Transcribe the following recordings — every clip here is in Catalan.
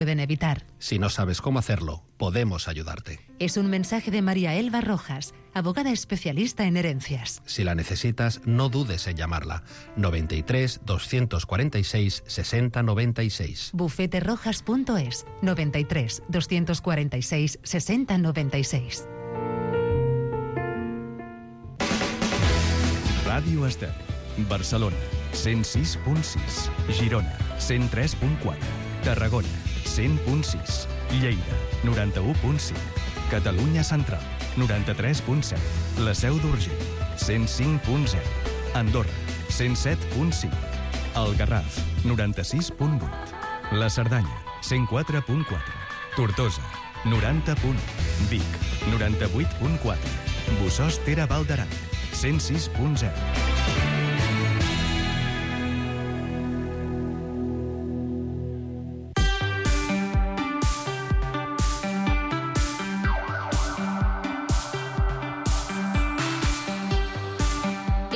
pueden evitar. Si no sabes cómo hacerlo, podemos ayudarte. Es un mensaje de María Elba Rojas, abogada especialista en herencias. Si la necesitas, no dudes en llamarla. 93 246 60 96. Bufeterojas.es 93 246 60 96. Ràdio Estel, Barcelona, 106.6, Girona, 103.4, Tarragona, 100.6, Lleida, 91.5, Catalunya Central, 93.7, La Seu d'Urgell, 105.0, Andorra, 107.5, El Garraf, 96.8, La Cerdanya, 104.4, Tortosa, 90.1, Vic, 98.4, Bossòst-Tere Val d'Aran, 106.0.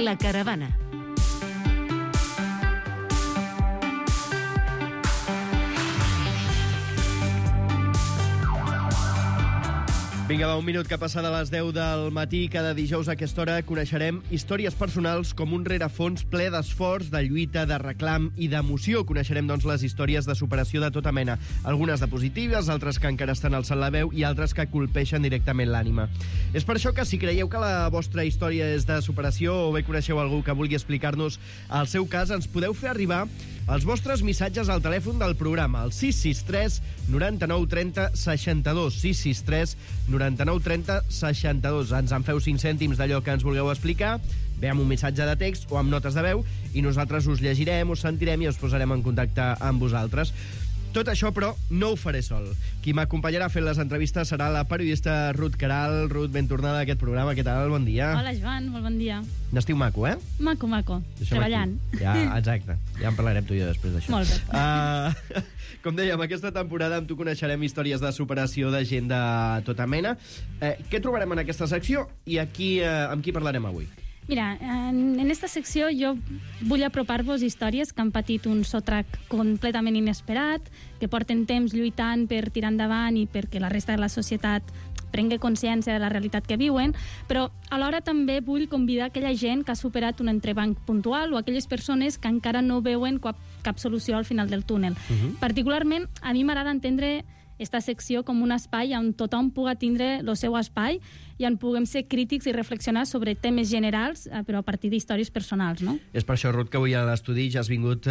La caravana. Vinga, va, un minut que passa de les 10 del matí. Cada dijous a aquesta hora coneixerem històries personals com un rerefons ple d'esforç, de lluita, de reclam i d'emoció. Coneixerem, doncs, les històries de superació de tota mena. Algunes de positives, altres que encara estan alçant la veu i altres que colpeixen directament l'ànima. És per això que si creieu que la vostra història és de superació o bé coneixeu algú que vulgui explicar-nos el seu cas, ens podeu fer arribar els vostres missatges al telèfon del programa, al 663 99 30 62, 663 99 30 62. Ens en feu 5 cèntims d'allò que ens vulgueu explicar, bé amb un missatge de text o amb notes de veu, i nosaltres us llegirem, us sentirem i us posarem en contacte amb vosaltres. Tot això, però, no ho faré sol. Qui m'acompanyarà fent les entrevistes serà la periodista Ruth Queralt. Ruth, ben tornada a aquest programa. Què tal? Bon dia. Hola, Joan. Molt bon dia. N'estiu maco, eh? Maco, maco. Treballant. Ja, exacte. Ja en parlarem tu i jo després d'això. Molt bé. Com dèiem, aquesta temporada amb tu coneixerem històries de superació de gent de tota mena. Què trobarem en aquesta secció i aquí, amb qui parlarem avui? Mira, en esta secció jo vull apropar-vos històries que han patit un sotrac completament inesperat, que porten temps lluitant per tirar endavant i perquè la resta de la societat prengui consciència de la realitat que viuen, però alhora també vull convidar aquella gent que ha superat un entrebanc puntual o aquelles persones que encara no veuen cap solució al final del túnel. Particularment, a mi m'agrada entendre esta secció com un espai on tothom puga tindre el seu espai i on puguem ser crítics i reflexionar sobre temes generals, però a partir d'històries personals, no? És per això, Ruth, que avui a l'estudi ja has vingut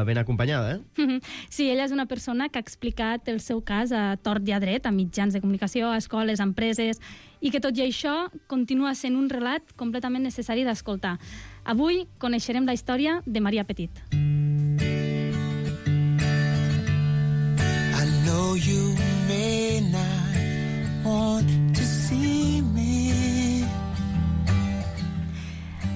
ben acompanyada, eh? Sí, ella és una persona que ha explicat el seu cas a tort i a dret, a mitjans de comunicació, a escoles, a empreses, i que tot i això continua sent un relat completament necessari d'escoltar. Avui coneixerem la història de Maria Petit. You may not want to see me.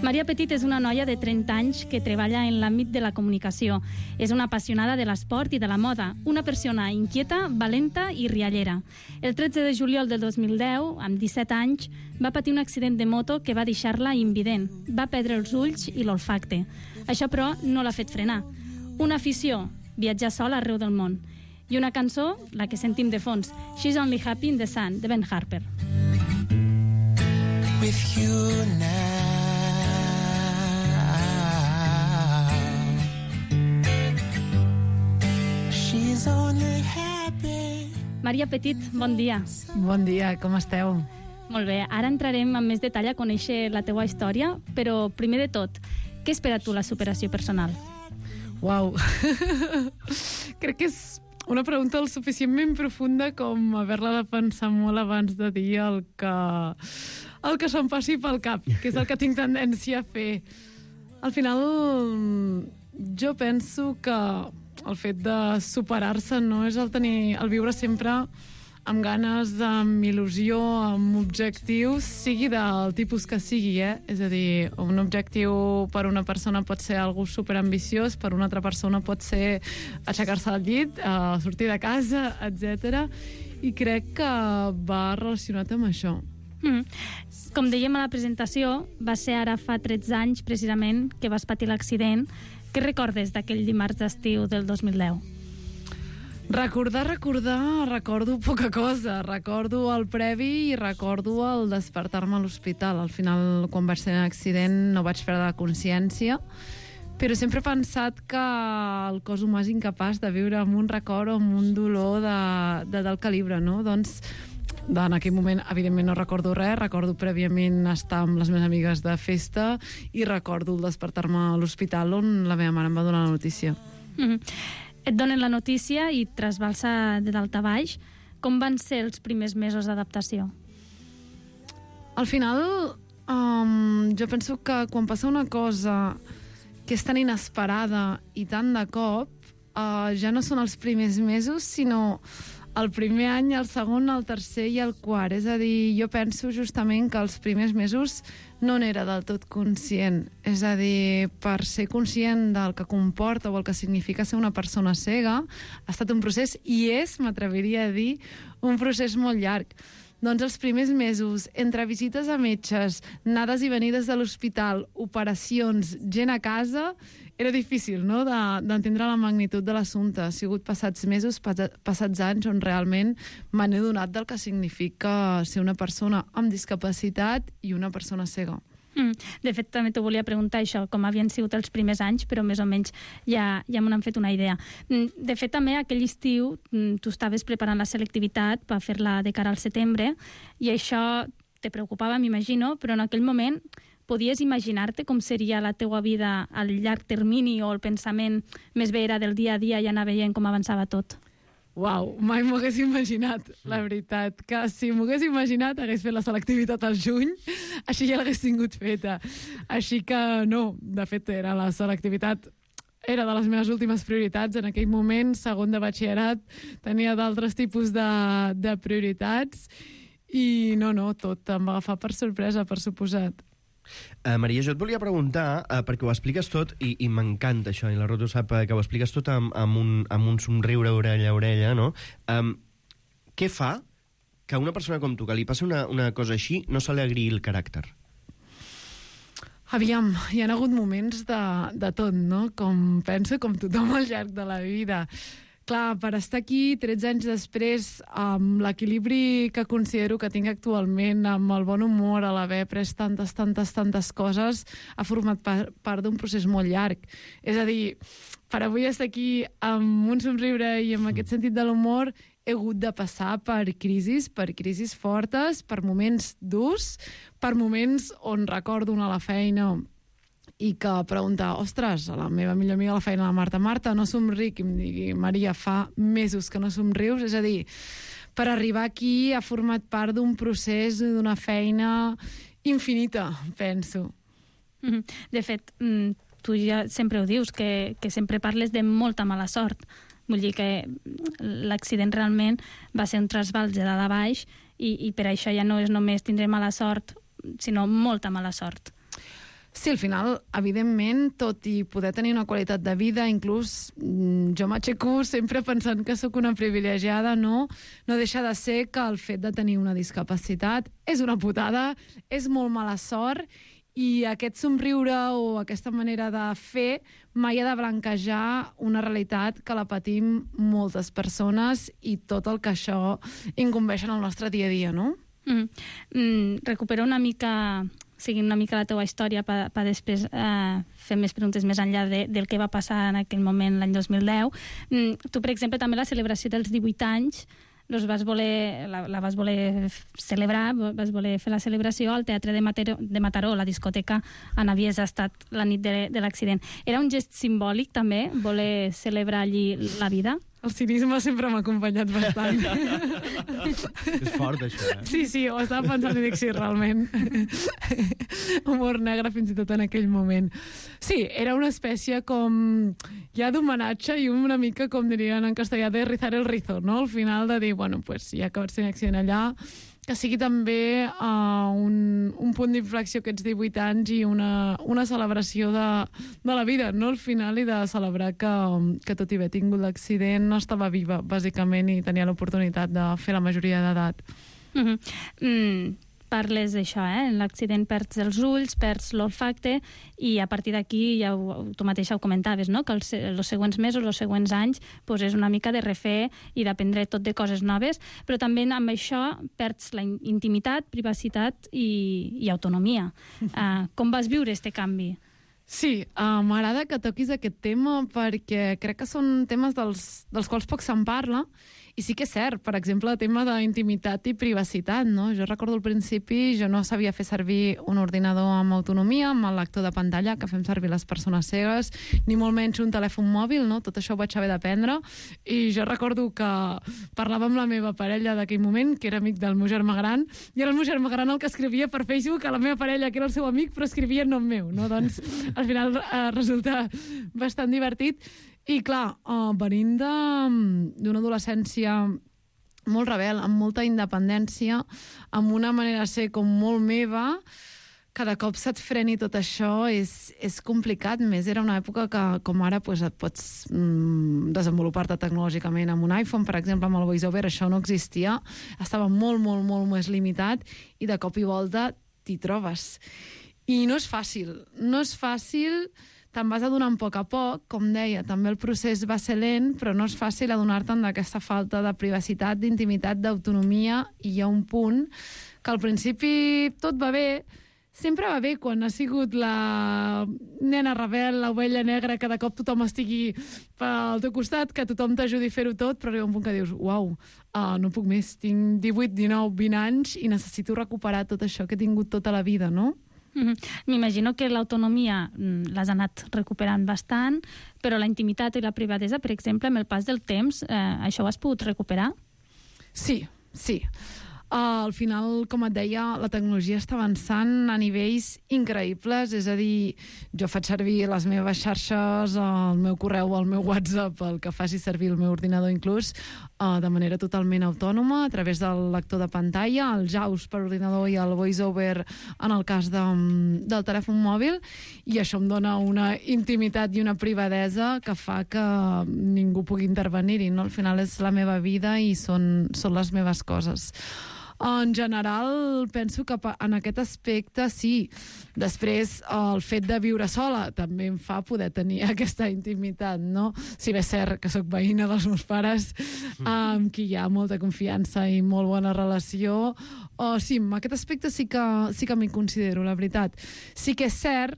Maria Petit és una noia de 30 anys que treballa en l'àmbit de la comunicació. És una apassionada de l'esport i de la moda, una persona inquieta, valenta i riallera. El 13 de juliol del 2010, amb 17 anys, va patir un accident de moto que va deixar-la invident. Va perdre els ulls i l'olfacte. Això, però, no l'ha fet frenar. Una afició, viatjar sola arreu del món. I una cançó, la que sentim de fons, She's Only Happy in the Sun, de Ben Harper. With you now. She's only happy. Maria Petit, bon dia. Bon dia, com esteu? Molt bé, ara entrarem amb més detall a conèixer la teua història, però primer de tot, què espera tu la superació personal? Uau, crec que és una pregunta el suficientment profunda com haver-la de pensar molt abans de dir el que se'm passi pel cap, que és el que tinc tendència a fer. Al final, jo penso que el fet de superar-se no és el viure sempre amb ganes, amb il·lusió, amb objectius, sigui del tipus que sigui, És a dir, un objectiu per una persona pot ser algú superambiciós, per una altra persona pot ser aixecar-se del llit, sortir de casa, etc. I crec que va relacionat amb això. Com dèiem a la presentació, va ser ara fa 13 anys, precisament, que vas patir l'accident. Què recordes d'aquell dimarts d'estiu del 2010? Recordar, recordo poca cosa. Recordo el previ i recordo el despertar-me a l'hospital. Al final, quan vaig tenir l'accident, no vaig perdre la consciència, però sempre he pensat que el cos humà és incapaç de viure amb un record o amb un dolor de tal calibre, no? Doncs en aquell moment, evidentment, no recordo res. Recordo prèviament estar amb les meves amigues de festa i recordo el despertar-me a l'hospital on la meva mare em va donar la notícia. Et donen la notícia i trasbalsa de dalt a baix. Com van ser els primers mesos d'adaptació? Al final, jo penso que quan passa una cosa que és tan inesperada i tan de cop, ja no són els primers mesos, sinó el primer any, el segon, el tercer i el quart. És a dir, jo penso justament que els primers mesos no n'era del tot conscient. És a dir, per ser conscient del que comporta o el que significa ser una persona cega, ha estat un procés, i és, m'atreviria a dir, un procés molt llarg. Doncs els primers mesos, entre visites a metges, anades i venides de l'hospital, operacions, gent a casa, era difícil, no?, d'entendre la magnitud de l'assumpte. Ha sigut passats mesos, passats anys, on realment me n'he donat del que significa ser una persona amb discapacitat i una persona cega. De fet, també t'ho volia preguntar això, com havien sigut els primers anys, però més o menys ja me n'han fet una idea. De fet, també aquell estiu tu estaves preparant la selectivitat per fer-la de cara al setembre, i això te preocupava, m'imagino, però en aquell moment podies imaginar-te com seria la teua vida al llarg termini, o el pensament més bé era del dia a dia i anar veient com avançava tot? Uau, mai m'ho hagués imaginat, la veritat. Que si m'ho hagués imaginat, hagués fet la selectivitat al juny, així ja l'hagués tingut feta. Així que no, de fet, era la selectivitat era de les meves últimes prioritats. En aquell moment, segon de batxillerat, tenia d'altres tipus de prioritats i no, tot em va agafar per sorpresa, per suposat. Maria, jo et volia preguntar, perquè ho expliques tot, i m'encanta això, i la Roto sap que ho expliques tot amb un somriure orella a orella, no? Què fa que a una persona com tu, que li passi una cosa així, no se li agriï el caràcter? Aviam, hi ha hagut moments de tot, no? Com penso, com tothom al llarg de la vida. Clar, per estar aquí 13 anys després, amb l'equilibri que considero que tinc actualment, amb el bon humor, a l'haver après tantes coses, ha format part d'un procés molt llarg. És a dir, per avui estar aquí amb un somriure i amb aquest sentit de l'humor, he hagut de passar per crisis fortes, per moments durs, per moments on recordo anar a la feina i que pregunta, ostres, a la meva millor amiga a la feina, la Marta, no somric, i em digui, Maria, fa mesos que no somrius. És a dir, per arribar aquí ha format part d'un procés, d'una feina infinita, penso. De fet, tu ja sempre ho dius, que sempre parles de molta mala sort. Vull dir que l'accident realment va ser un trasbals de dalt a baix, i per això ja no és només tindre mala sort, sinó molta mala sort. Sí, al final, evidentment, tot i poder tenir una qualitat de vida, inclús jo m'aixeco sempre pensant que sóc una privilegiada, no deixa de ser que el fet de tenir una discapacitat és una putada, és molt mala sort, i aquest somriure o aquesta manera de fer mai ha de blanquejar una realitat que la patim moltes persones i tot el que això incumbeix en el nostre dia a dia, no? Recupera una mica... seguint una mica la teva història per després fer més preguntes més enllà del que va passar en aquell moment l'any 2010. Tu, per exemple, també la celebració dels 18 anys la vas voler celebrar, vas voler fer la celebració al Teatre de Mataró, la discoteca on havies estat la nit de l'accident. Era un gest simbòlic, també, voler celebrar allí la vida? El cinisme sempre m'ha acompanyat bastant. És fort, això, eh? Sí, ho estava pensant i dic, sí, realment. Humor negre fins i tot en aquell moment. Sí, era una espècie com ja d'homenatge i una mica, com dirien en castellà, de rizar el rizo, no? Al final de dir, bueno, pues ja que vaig tenir accident allà, que sigui també un punt d'inflexió aquests 18 anys i una celebració de la vida, no? Al final, i de celebrar que tot i haver tingut l'accident no estava viva, bàsicament, i tenia l'oportunitat de fer la majoria d'edat. parles d'això, en l'accident perds els ulls, perds l'olfacte, i a partir d'aquí, ja tu mateixa ho comentaves, no? Que els següents mesos, els següents anys, pues és una mica de refer i d'aprendre tot de coses noves, però també amb això perds la intimitat, privacitat i autonomia. Com vas viure este canvi? Sí, m'agrada que toquis aquest tema perquè crec que són temes dels quals poc se'n parla, i sí que és cert, per exemple, el tema d'intimitat i privacitat, no? Jo recordo al principi, jo no sabia fer servir un ordinador amb autonomia, amb el lector de pantalla que fem servir les persones cegues, ni molt menys un telèfon mòbil, no? Tot això ho vaig haver d'aprendre, i jo recordo que parlava amb la meva parella d'aquell moment, que era amic del meu germà gran, i era el meu germà gran el que escrivia per Facebook a la meva parella, que era el seu amic, però escrivia en nom meu, no? Doncs al final resulta bastant divertit. I clar, venint d'una adolescència molt rebel, amb molta independència, amb una manera de ser com molt meva, cada cop se't freni tot això és complicat. Més era una època que, com ara, pues, et pots desenvolupar-te tecnològicament amb un iPhone, per exemple, amb el VoiceOver, això no existia. Estava molt, molt, molt més limitat, i de cop i volta t'hi trobes. I no és fàcil. No és fàcil, te'n vas adonant a poc, com deia, també el procés va ser lent, però no és fàcil adonar-te'n d'aquesta falta de privacitat, d'intimitat, d'autonomia, i hi ha un punt que al principi tot va bé, sempre va bé quan ha sigut la nena rebel, l'ovella negra, que de cop tothom estigui pel teu costat, que tothom t'ajudi a fer-ho tot, però arriba un punt que dius, uau, no puc més, tinc 18, 19, 20 anys i necessito recuperar tot això que he tingut tota la vida, no? M'imagino que l'autonomia l'has anat recuperant bastant, però la intimitat i la privadesa, per exemple, amb el pas del temps, això ho has pogut recuperar? Sí. Al final, com et deia, la tecnologia està avançant a nivells increïbles, és a dir, jo faig servir les meves xarxes, el meu correu, el meu WhatsApp, el que faci servir el meu ordinador inclús, de manera totalment autònoma, a través del lector de pantalla, el JAWS per ordinador i el VoiceOver en el cas del telèfon mòbil, i això em dona una intimitat i una privadesa que fa que ningú pugui intervenir-hi, no? Al final és la meva vida i són les meves coses. En general, penso que en aquest aspecte sí. Després, el fet de viure sola també em fa poder tenir aquesta intimitat, no? Si bé és cert que sóc veïna dels meus pares, amb qui hi ha molta confiança i molt bona relació, sí, en aquest aspecte sí que m'hi considero, la veritat. Sí que és cert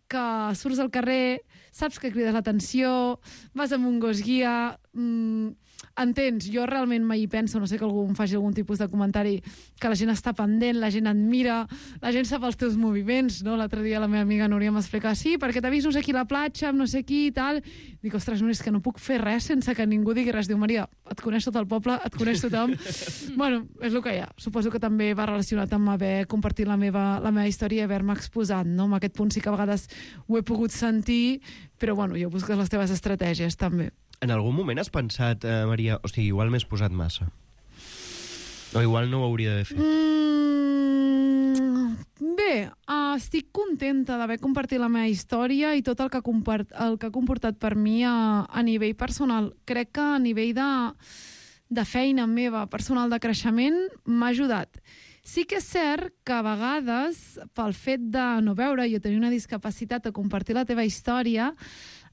que surts al carrer, saps que crides l'atenció, vas amb un gos guia, entens, jo realment mai hi penso, no sé que algú em faci algun tipus de comentari, que la gent està pendent, la gent et mira, la gent sap els teus moviments, no? L'altre dia la meva amiga Núria m'explica, sí, perquè t'he vist aquí a la platja, amb no sé qui i tal. Dic, ostres, Núria, és que no puc fer res sense que ningú digui res. Diu, Maria, et coneix tot el poble, et coneix tothom. Bueno, és el que hi ha. Suposo que també va relacionat amb haver compartit la meva història i haver-me exposat, no? En aquest punt sí que a vegades ho he pogut sentir, però bueno, ja busques les teves estratègies, també. En algun moment has pensat, Maria, hosti, igual m'he exposat massa? O igual no ho hauria d'haver fet? Bé, estic contenta d'haver compartit la meva història i tot el que ha comportat per mi a nivell personal. Crec que a nivell de feina meva, personal, de creixement, m'ha ajudat. Sí que és cert que a vegades, pel fet de no veure i tenir una discapacitat o compartir la teva història,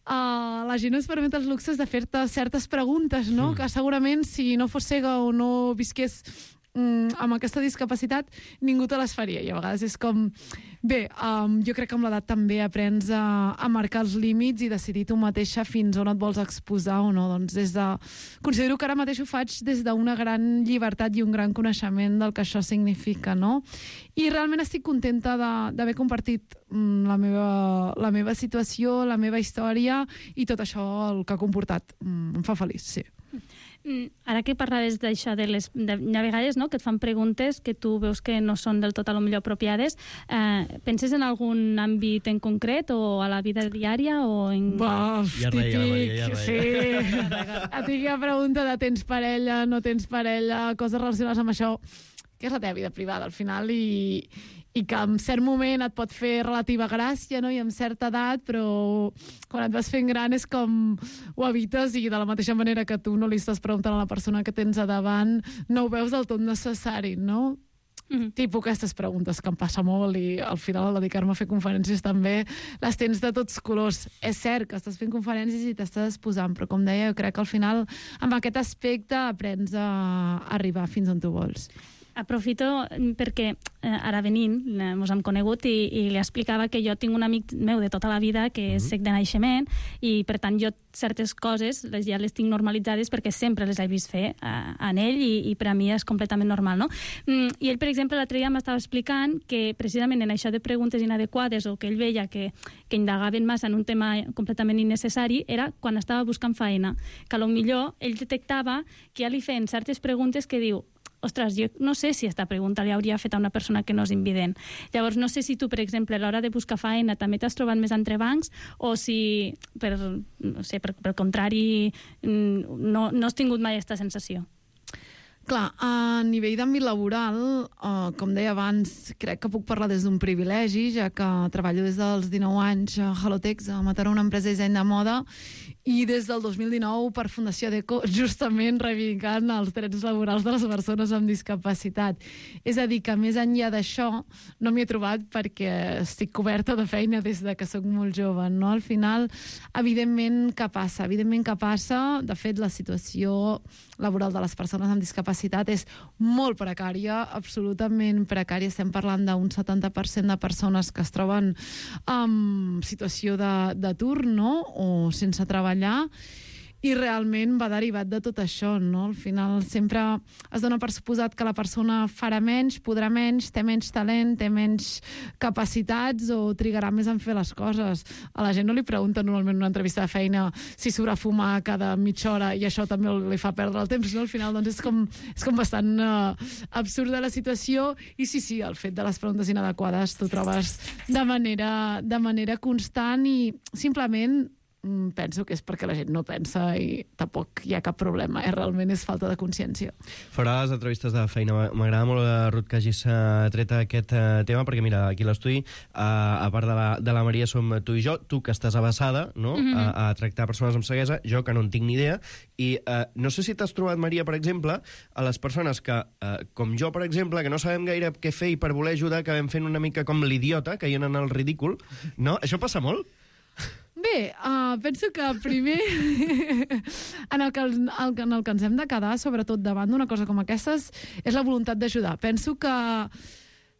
la gent es permet els luxes de fer-te certes preguntes, no? Que segurament si no fos cega o no visqués amb aquesta discapacitat, ningú te les faria. I a vegades és com... Bé, jo crec que amb l'edat també aprens a marcar els límits i decidir tu mateixa fins on et vols exposar o no. Doncs considero que ara mateix ho faig des d'una gran llibertat i un gran coneixement del que això significa, no? I realment estic contenta d'haver compartit la meva situació, la meva història i tot això el que ha comportat. Em fa feliç, sí. Ara que parlaves d'això, hi ha vegades, no?, que et fan preguntes que tu veus que no són del tot a lo millor apropiades. Penses en algun àmbit en concret o a la vida diària o en... Típic, sí. La típica pregunta de tens parella, no tens parella, coses relacionades amb això, que és la teva vida privada al final i que en cert moment et pot fer relativa gràcia, no?, i en certa edat, però quan et vas fent gran és com ho evites i de la mateixa manera que tu no li estàs preguntant a la persona que tens a davant no ho veus del tot necessari, no? tipus aquestes preguntes que em passa molt i al final al dedicar-me a fer conferències també les tens de tots colors. És cert que estàs fent conferències i t'estàs exposant, però com deia, jo crec que al final amb aquest aspecte aprens a arribar fins on tu vols. Aprofito perquè ara venint mos hem conegut i li explicava que jo tinc un amic meu de tota la vida que és cec de naixement i per tant jo certes coses ja les tinc normalitzades perquè sempre les he vist fer en ell i per a mi és completament normal, no? I ell, per exemple, l'altre dia m'estava explicant que precisament en això de preguntes inadequades o que ell veia que indagaven massa en un tema completament innecessari era quan estava buscant feina, que potser ell detectava que ja li feien certes preguntes que diu ostres, jo no sé si aquesta pregunta li hauria fet a una persona que no és invident. Llavors, no sé si tu, per exemple, a l'hora de buscar feina també t'has trobat més entrebancs o si, per contrari, no has tingut mai aquesta sensació. Clar, a nivell d'àmbit laboral, com deia abans, crec que puc parlar des d'un privilegi, ja que treballo des dels 19 anys a Halotex, a Mataró, una empresa de disseny de moda, i des del 2019 per Fundació Deco, justament reivindicant els drets laborals de les persones amb discapacitat. És a dir, que més enllà d'això no m'hi he trobat perquè estic coberta de feina des de que sóc molt jove, no? Al final, evidentment que passa. De fet, la situació laboral de les persones amb discapacitat és molt precària, absolutament precària. Estem parlant d'un 70% de persones que es troben en situació d'atur, no? O sense treballar, i realment va derivat de tot això, no? Al final sempre es dona per suposat que la persona farà menys, podrà menys, té menys talent, té menys capacitats o trigarà més en fer les coses. A la gent no li pregunten normalment en una entrevista de feina si s'haurà fumar cada mitja hora i això també li fa perdre el temps, no? Al final doncs és com bastant absurda la situació i sí, el fet de les preguntes inadequades t'ho trobes de manera constant i simplement penso que és perquè la gent no pensa i tampoc hi ha cap problema, realment és falta de consciència. Farà les entrevistes de feina. M'agrada molt, Ruth, que hagis tret aquest tema, perquè mira, aquí a l'estudi, a part de la Maria, som tu i jo, tu que estàs avasada, no? A tractar persones amb ceguesa, jo que no en tinc ni idea, i no sé si t'has trobat, Maria, per exemple, a les persones que, com jo, per exemple, que no sabem gaire què fer i per voler ajudar acabem fent una mica com l'idiota, caient en el ridícul, no? Això passa molt? Bé, penso que primer en el que ens hem de quedar, sobretot davant d'una cosa com aquestes, és la voluntat d'ajudar. Penso que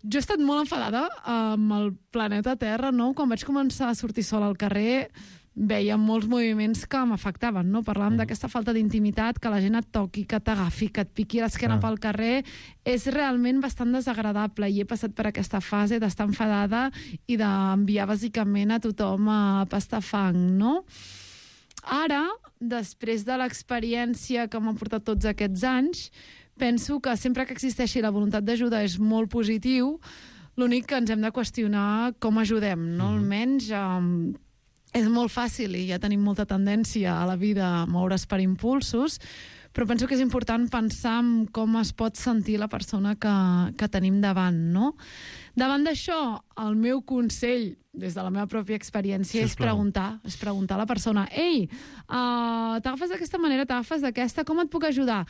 jo he estat molt enfadada amb el planeta Terra, no? Quan vaig començar a sortir sola al carrer veia molts moviments que m'afectaven, no? Parlàvem d'aquesta falta d'intimitat, que la gent et toqui, que t'agafi, que et piqui l'esquena pel carrer, és realment bastant desagradable i he passat per aquesta fase d'estar enfadada i d'enviar bàsicament a tothom a pastar fang, no? Ara, després de l'experiència que m'ha portat tots aquests anys, penso que sempre que existeixi la voluntat d'ajudar és molt positiu, l'únic que ens hem de qüestionar com ajudem, no? Almenys és molt fàcil i ja tenim molta tendència a la vida a moure's per impulsos, però penso que és important pensar en com es pot sentir la persona que tenim davant, no? Davant d'això, el meu consell, des de la meva pròpia experiència, és preguntar a la persona: ei, t'agafes d'aquesta manera, t'agafes d'aquesta, com et puc ajudar?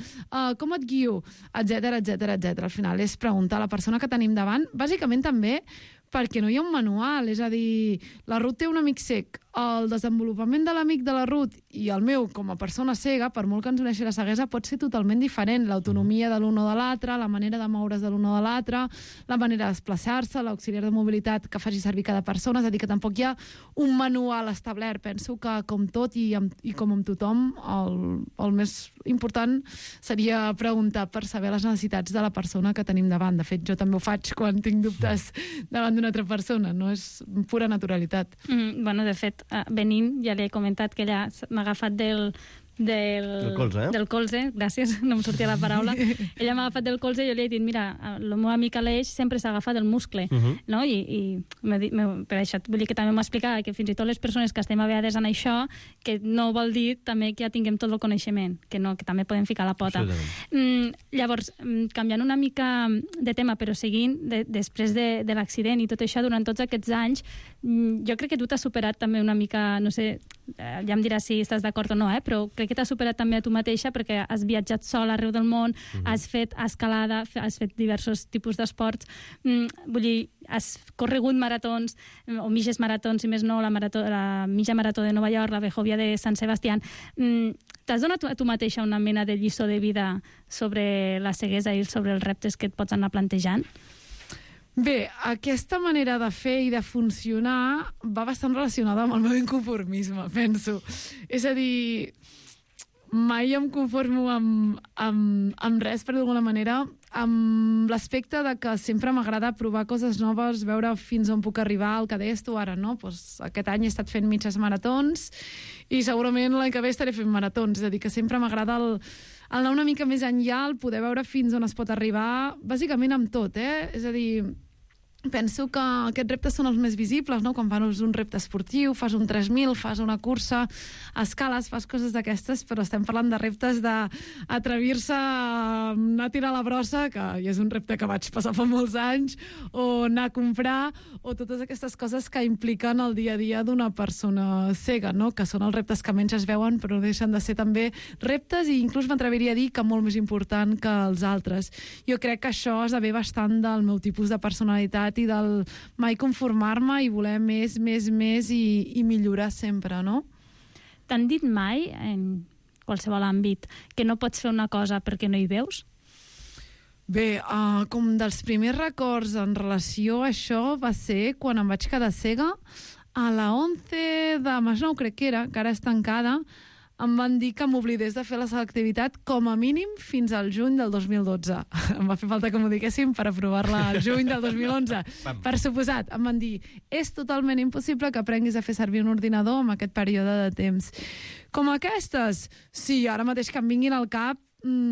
Com et guio? Etcètera. Al final és preguntar a la persona que tenim davant, bàsicament també perquè no hi ha un manual, és a dir, la Ruth té un amic cec, el desenvolupament de l'amic de la Ruth i el meu com a persona cega, per molt que ens uneixi la ceguesa, pot ser totalment diferent. L'autonomia de l'un o de l'altre, la manera de moure's de l'un o de l'altre, la manera de desplaçar-se, l'auxiliar de mobilitat que faci servir cada persona, és a dir, que tampoc hi ha un manual establert. Penso que, com tot i com amb tothom, el més important seria preguntar per saber les necessitats de la persona que tenim davant. De fet, jo també ho faig quan tinc dubtes davant d'una altra persona, no? És pura naturalitat. Bueno, de fet, venint, ja li he comentat que ella m'ha agafat del colze, gràcies, no em sortia la paraula. Ella m'ha agafat del colze i jo li he dit, mira, el meu amic Aleix sempre s'ha agafat del muscle, no? I per això vull dir que també m'explicava que fins i tot les persones que estem a vegades en això, que no vol dir també que ja tinguem tot el coneixement, que també podem ficar la pota. Llavors, canviant una mica de tema, però seguint, després de l'accident i tot això, durant tots aquests anys, jo crec que tu t'has superat també una mica, no sé, ja em diràs si estàs d'acord o no, però crec que t'has superat també a tu mateixa perquè has viatjat sola arreu del món, has fet escalada, has fet diversos tipus d'esports, vull dir, has corregut maratons, o mitges maratons, si més no, la mitja marató de Nova York, la Vejovia de Sant Sebastián. T'has donat a tu mateixa una mena de lliçó de vida sobre la ceguesa i sobre els reptes que et pots anar plantejant? Bé, aquesta manera de fer i de funcionar va bastant relacionada amb el meu inconformisme, penso. És a dir, mai em conformo amb res, per d'alguna manera, amb l'aspecte de que sempre m'agrada provar coses noves, veure fins on puc arribar al que desto ara, no? Pues aquest any he estat fent mitges maratons i segurament l'any que ve estaré fent maratons, és a dir, que sempre m'agrada el anar una mica més enllà, el poder veure fins on es pot arribar, bàsicament amb tot, És a dir, penso que aquests reptes són els més visibles, no? Quan fas un repte esportiu, fas un 3.000, fas una cursa, escales, fas coses d'aquestes, però estem parlant de reptes d'atrevir-se a anar a tirar la brossa, que ja és un repte que vaig passar fa molts anys, o anar a comprar, o totes aquestes coses que impliquen el dia a dia d'una persona cega, no? Que són els reptes que menys es veuen, però deixen de ser també reptes i inclús m'atreviria a dir que molt més important que els altres. Jo crec que això esdevé bastant del meu tipus de personalitat i del mai conformar-me i voler més i millorar sempre, no? T'han dit mai, en qualsevol àmbit, que no pots fer una cosa perquè no hi veus? Bé, com dels primers records en relació a això va ser quan em vaig quedar cega a la 11 de Masnou, crec que era, que ara és tancada. Em van dir que m'oblidés de fer la selectivitat com a mínim fins al juny del 2012. Em va fer falta que m'ho diguessin per aprovar-la al juny del 2011. Per suposat, em van dir, és totalment impossible que aprenguis a fer servir un ordinador en aquest període de temps. Com aquestes? Sí, ara mateix que em vinguin al cap,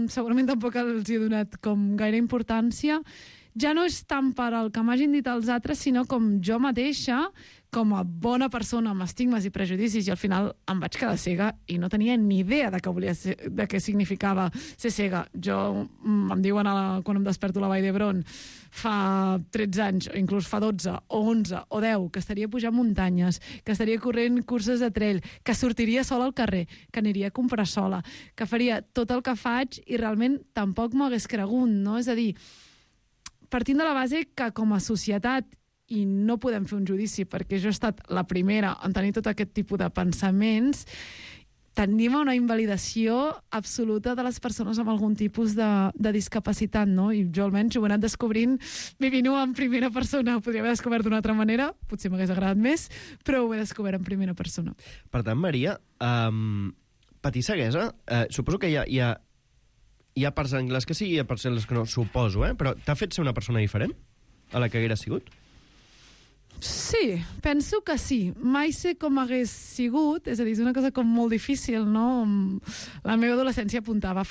segurament tampoc els he donat com gaire importància. Ja no és tant per al que m'hagin dit els altres, sinó com jo mateixa, com a bona persona amb estigmes i prejudicis, i al final em vaig quedar cega i no tenia ni idea de què significava ser cega. Jo, em diuen quan em desperto a la Vall d'Hebron fa 13 anys, o inclús fa 12, o 11, o 10, que estaria pujant muntanyes, que estaria corrent curses de trail, que sortiria sola al carrer, que aniria a comprar sola, que faria tot el que faig i realment tampoc m'ho hagués cregut, no? És a dir, partint de la base que com a societat, i no podem fer un judici perquè jo he estat la primera en tenir tot aquest tipus de pensaments, tendim a una invalidació absoluta de les persones amb algun tipus de discapacitat, no? I jo almenys ho he anat descobrint vivint-ho en primera persona. Ho podria haver descobert d'una altra manera, potser m'hagués agradat més, però ho he descobert en primera persona. Per tant, Maria, patir ceguesa, suposo que hi ha parts en les que sí i hi ha parts en les que no, suposo, però t'ha fet ser una persona diferent a la que haguera sigut? Sí, penso que sí. Mai sé com hagués sigut, és a dir, és una cosa com molt difícil, no? La meva adolescència apuntava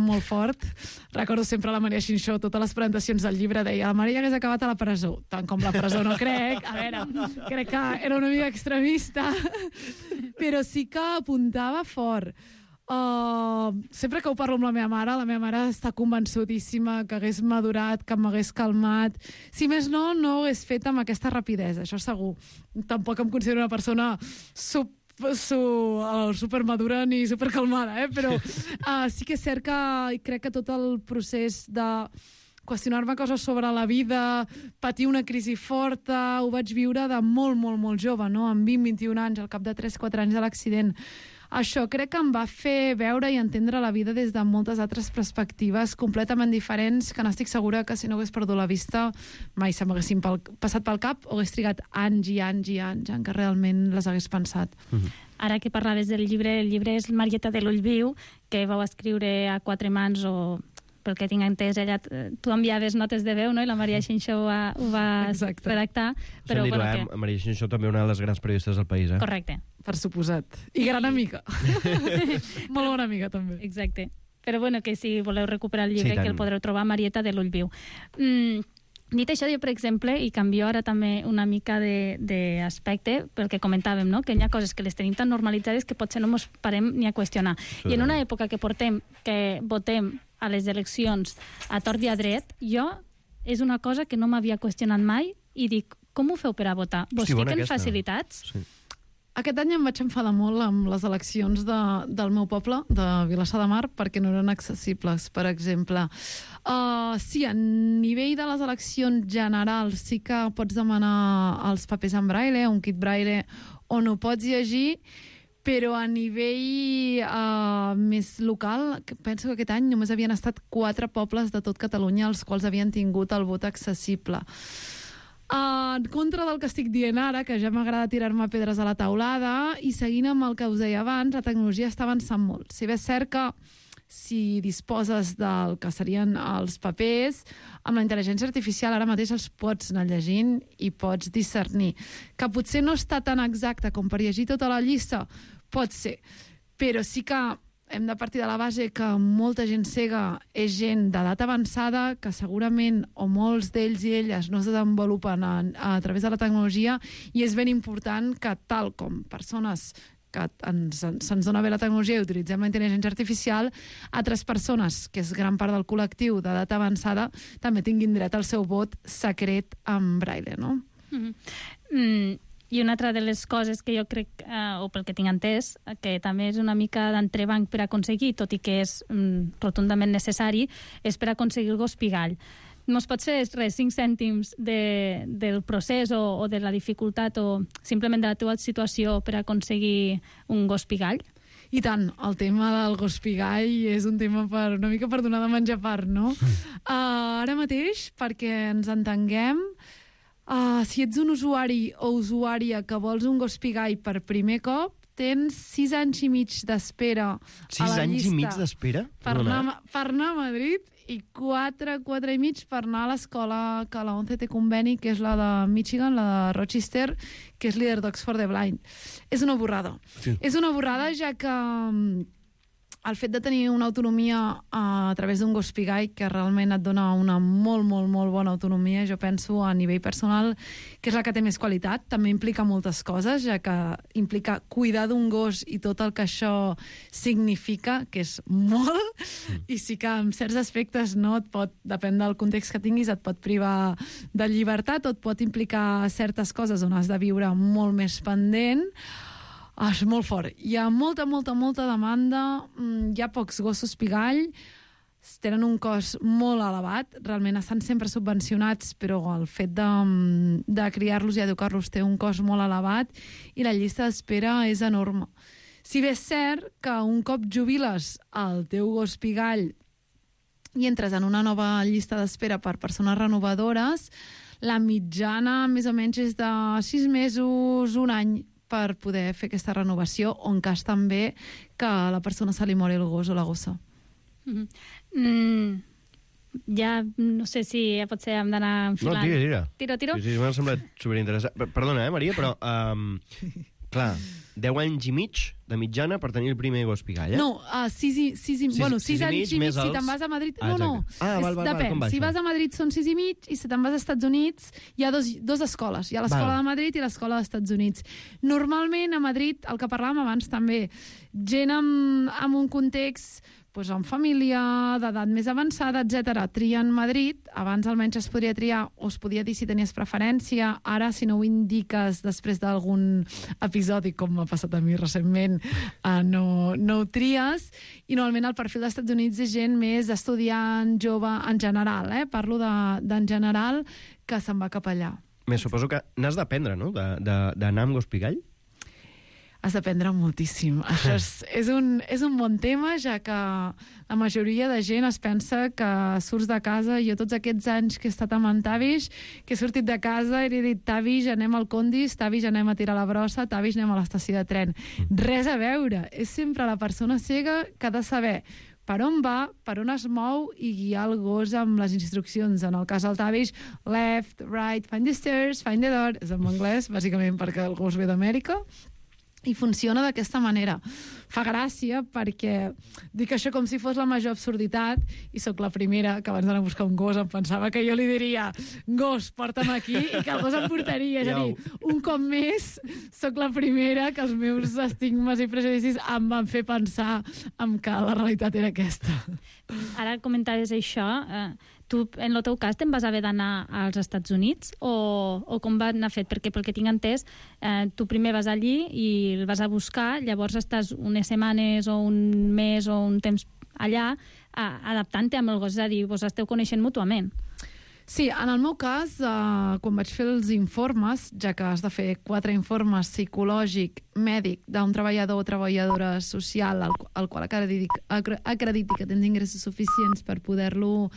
molt fort. Recordo sempre la Maria Xinxó, totes les presentacions del llibre deia la Maria hagués acabat a la presó. Tant com la presó no crec, a veure, crec que era una mica extremista, però sí que apuntava fort. Sempre que ho parlo amb la meva mare està convençudíssima que hagués madurat, que m'hagués calmat. Si més no, no ho hagués fet amb aquesta rapidesa, això segur. Tampoc em considero una persona supermadura ni supercalmada, però sí que és cert que crec que tot el procés de qüestionar-me coses sobre la vida, patir una crisi forta, ho vaig viure de molt jove, no? Amb 20-21 anys, al cap de 3-4 anys de l'accident. Això crec que em va fer veure i entendre la vida des de moltes altres perspectives completament diferents, que n'estic segura que si no hagués perdut la vista mai se m'haguessin passat pel cap o hagués trigat anys i anys i anys en què realment les hagués pensat. Ara que parlaves del llibre, el llibre és Marieta de l'Ull Viu, que vau escriure a 4 mans o... pel que tinc entès, ella, tu enviaves notes de veu, no? I la Maria Xinxó ho va redactar. Però, Maria Xinxó també una de les grans periodistes del país, Correcte. Per suposat. I gran amiga. Molt bona amiga, també. Exacte. Però que si voleu recuperar el llibre, que el podreu trobar a Marieta de l'Ull Viu. Dit això, jo, per exemple, i canvio ara també una mica d'aspecte, pel que comentàvem, no? Que hi ha coses que les tenim tan normalitzades que potser no ens parem ni a qüestionar. I en una època que votem a les eleccions a tort i a dret, és una cosa que no m'havia qüestionat mai i dic, com ho feu per a votar? Vos fiquen facilitats? Sí. Aquest any em vaig enfadar molt amb les eleccions del meu poble, de Vilassar de Mar, perquè no eren accessibles, per exemple. Sí, a nivell de les eleccions generals sí que pots demanar els papers en braille, un kit braille, on ho pots llegir, però a nivell més local, penso que aquest any només havien estat 4 pobles de tot Catalunya els quals havien tingut el vot accessible. En contra del que estic dient ara, que ja m'agrada tirar-me pedres a la taulada, i seguint amb el que us deia abans, la tecnologia està avançant molt. Si bé és cert que si disposes del que serien els papers, amb la intel·ligència artificial ara mateix els pots anar llegint i pots discernir. Que potser no està tan exacte com per llegir tota la llista, pot ser, però sí que hem de partir de la base que molta gent cega és gent d'edat avançada, que segurament o molts d'ells i elles no es desenvolupen a través de la tecnologia, i és ben important que, tal com persones que se'ns dona bé la tecnologia i utilitzem la intel·ligència artificial, altres persones, que és gran part del col·lectiu d'edat avançada, també tinguin dret al seu vot secret en braille, no? I una altra de les coses que jo crec, o pel que tinc entès, que també és una mica d'entrebanc per aconseguir, tot i que és rotundament necessari, és per aconseguir el gos pigall. Mos pots fer 5 cèntims del procés o de la dificultat o simplement de la teva situació per aconseguir un gos pigall? I tant, el tema del gos pigall és un tema una mica per donar de menjar part, no? Ara mateix, perquè ens entenguem, si ets un usuari o usuària que vols un gos pigall per primer cop, tens 6 anys i mig d'espera a la llista. 6 anys i mig d'espera? Per anar a Madrid, i 4 i mig per anar a l'escola que la ONCE té conveni, que és la de Michigan, la de Rochester, que és líder Dogs for the Blind. És una borrada. Sí. És una borrada, ja que el fet de tenir una autonomia a través d'un gos pigall, que realment et dona una molt, molt, molt bona autonomia, jo penso a nivell personal que és la que té més qualitat. També implica moltes coses, ja que implica cuidar d'un gos i tot el que això significa, que és molt, i sí que en certs aspectes no et pot, depèn del context que tinguis, et pot privar de llibertat o et pot implicar certes coses on has de viure molt més pendent. És molt fort. Hi ha molta demanda, hi ha pocs gossos pigall, tenen un cost molt elevat, realment estan sempre subvencionats, però el fet de criar-los i educar-los té un cost molt elevat i la llista d'espera és enorme. Si bé és cert que un cop jubiles el teu gos pigall i entres en una nova llista d'espera per persones renovadores, la mitjana més o menys és de 6 mesos, un any, per poder fer aquesta renovació, o en cas també que a la persona se li mori el gos o la gossa. Ja no sé si potser hem d'anar enfilant. No, Tiro. Sí, m'ha semblat superinteressant. Perdona, Maria, però clar, 10 anys i mig de mitjana per tenir el primer gos pigall, eh? No, 6 anys i mig si te'n vas a Madrid. Depèn. Si vas a Madrid són 6 i mig, i si te'n vas als Estats Units hi ha dos escoles. Hi ha l'escola de Madrid i l'escola dels Estats Units. Normalment a Madrid, el que parlàvem abans també, gent amb un context amb família, d'edat més avançada, etc. Trien Madrid. Abans almenys es podria triar, o es podia dir si tenies preferència. Ara, si no ho indiques després d'algun episodi, com m'ha passat a mi recentment, no ho tries. I normalment el perfil dels Estats Units és gent més estudiant, jove, en general. Parlo d'en general, que se'n va cap allà. Més suposo que n'has d'aprendre, no?, d'anar amb gos pigall? Has d'aprendre moltíssim. Això és un bon tema, ja que la majoria de gent es pensa que surts de casa. Jo tots aquests anys que he estat amb en Tavish, que he sortit de casa i he dit Tavish, anem al Condis, Tavish, anem a tirar la brossa, Tavish, anem a l'estació de tren. Res a veure. És sempre la persona cega que ha de saber per on va, per on es mou i guiar el gos amb les instruccions. En el cas del Tavish, left, right, find the stairs, find the door. És en anglès, bàsicament perquè el gos ve d'Amèrica. I funciona d'aquesta manera. Fa gràcia perquè dic això com si fos la major absurditat, i sóc la primera que abans d'anar a buscar un gos em pensava que jo li diria gos, porta'm aquí, i que el gos em portaria. És a dir, un cop més sóc la primera que els meus estigmes i prejudicis em van fer pensar que la realitat era aquesta. Ara comentaves això, Tu, en el teu cas, te'n vas haver d'anar als Estats Units o com va anar fet? Perquè, pel que tinc entès, tu primer vas allí i el vas a buscar, llavors estàs unes setmanes o un mes o un temps allà adaptant-te amb el gos, és a dir, vos esteu coneixent mútuament. Sí, en el meu cas, quan vaig fer els informes, ja que has de fer 4 informes psicològic, mèdic, d'un treballador o treballadora social al qual acrediti que tens ingressos suficients per poder-lo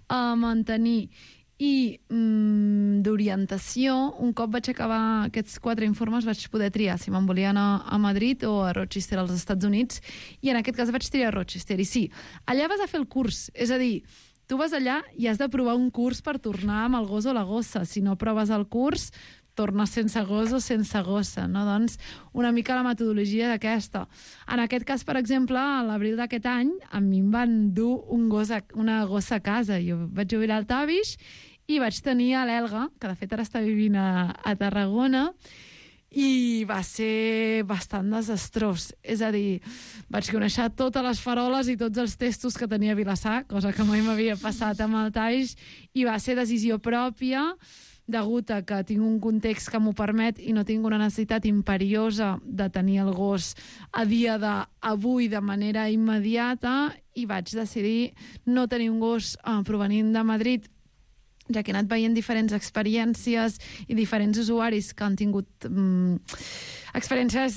mantenir, i d'orientació, un cop vaig acabar aquests 4 informes vaig poder triar si me'n volia anar a Madrid o a Rochester, als Estats Units, i en aquest cas vaig triar Rochester. I sí, allà vas a fer el curs, és a dir, tu vas allà i has de provar un curs per tornar amb el gos o la gossa. Si no proves el curs, tornes sense gos o sense gossa, no? Doncs una mica la metodologia d'aquesta. En aquest cas, per exemple, a l'abril d'aquest any, a mi em van dur una gossa a casa. Jo vaig jubilar al Tavish i vaig tenir a l'Elga, que de fet ara està vivint a Tarragona, i va ser bastant desastrós. És a dir, vaig conèixer totes les faroles i tots els testos que tenia a Vilassar, cosa que mai m'havia passat amb el Taix, i va ser decisió pròpia, degut a que tinc un context que m'ho permet i no tinc una necessitat imperiosa de tenir el gos a dia d'avui de manera immediata, i vaig decidir no tenir un gos provenint de Madrid, ja que he anat veient diferents experiències i diferents usuaris que han tingut experiències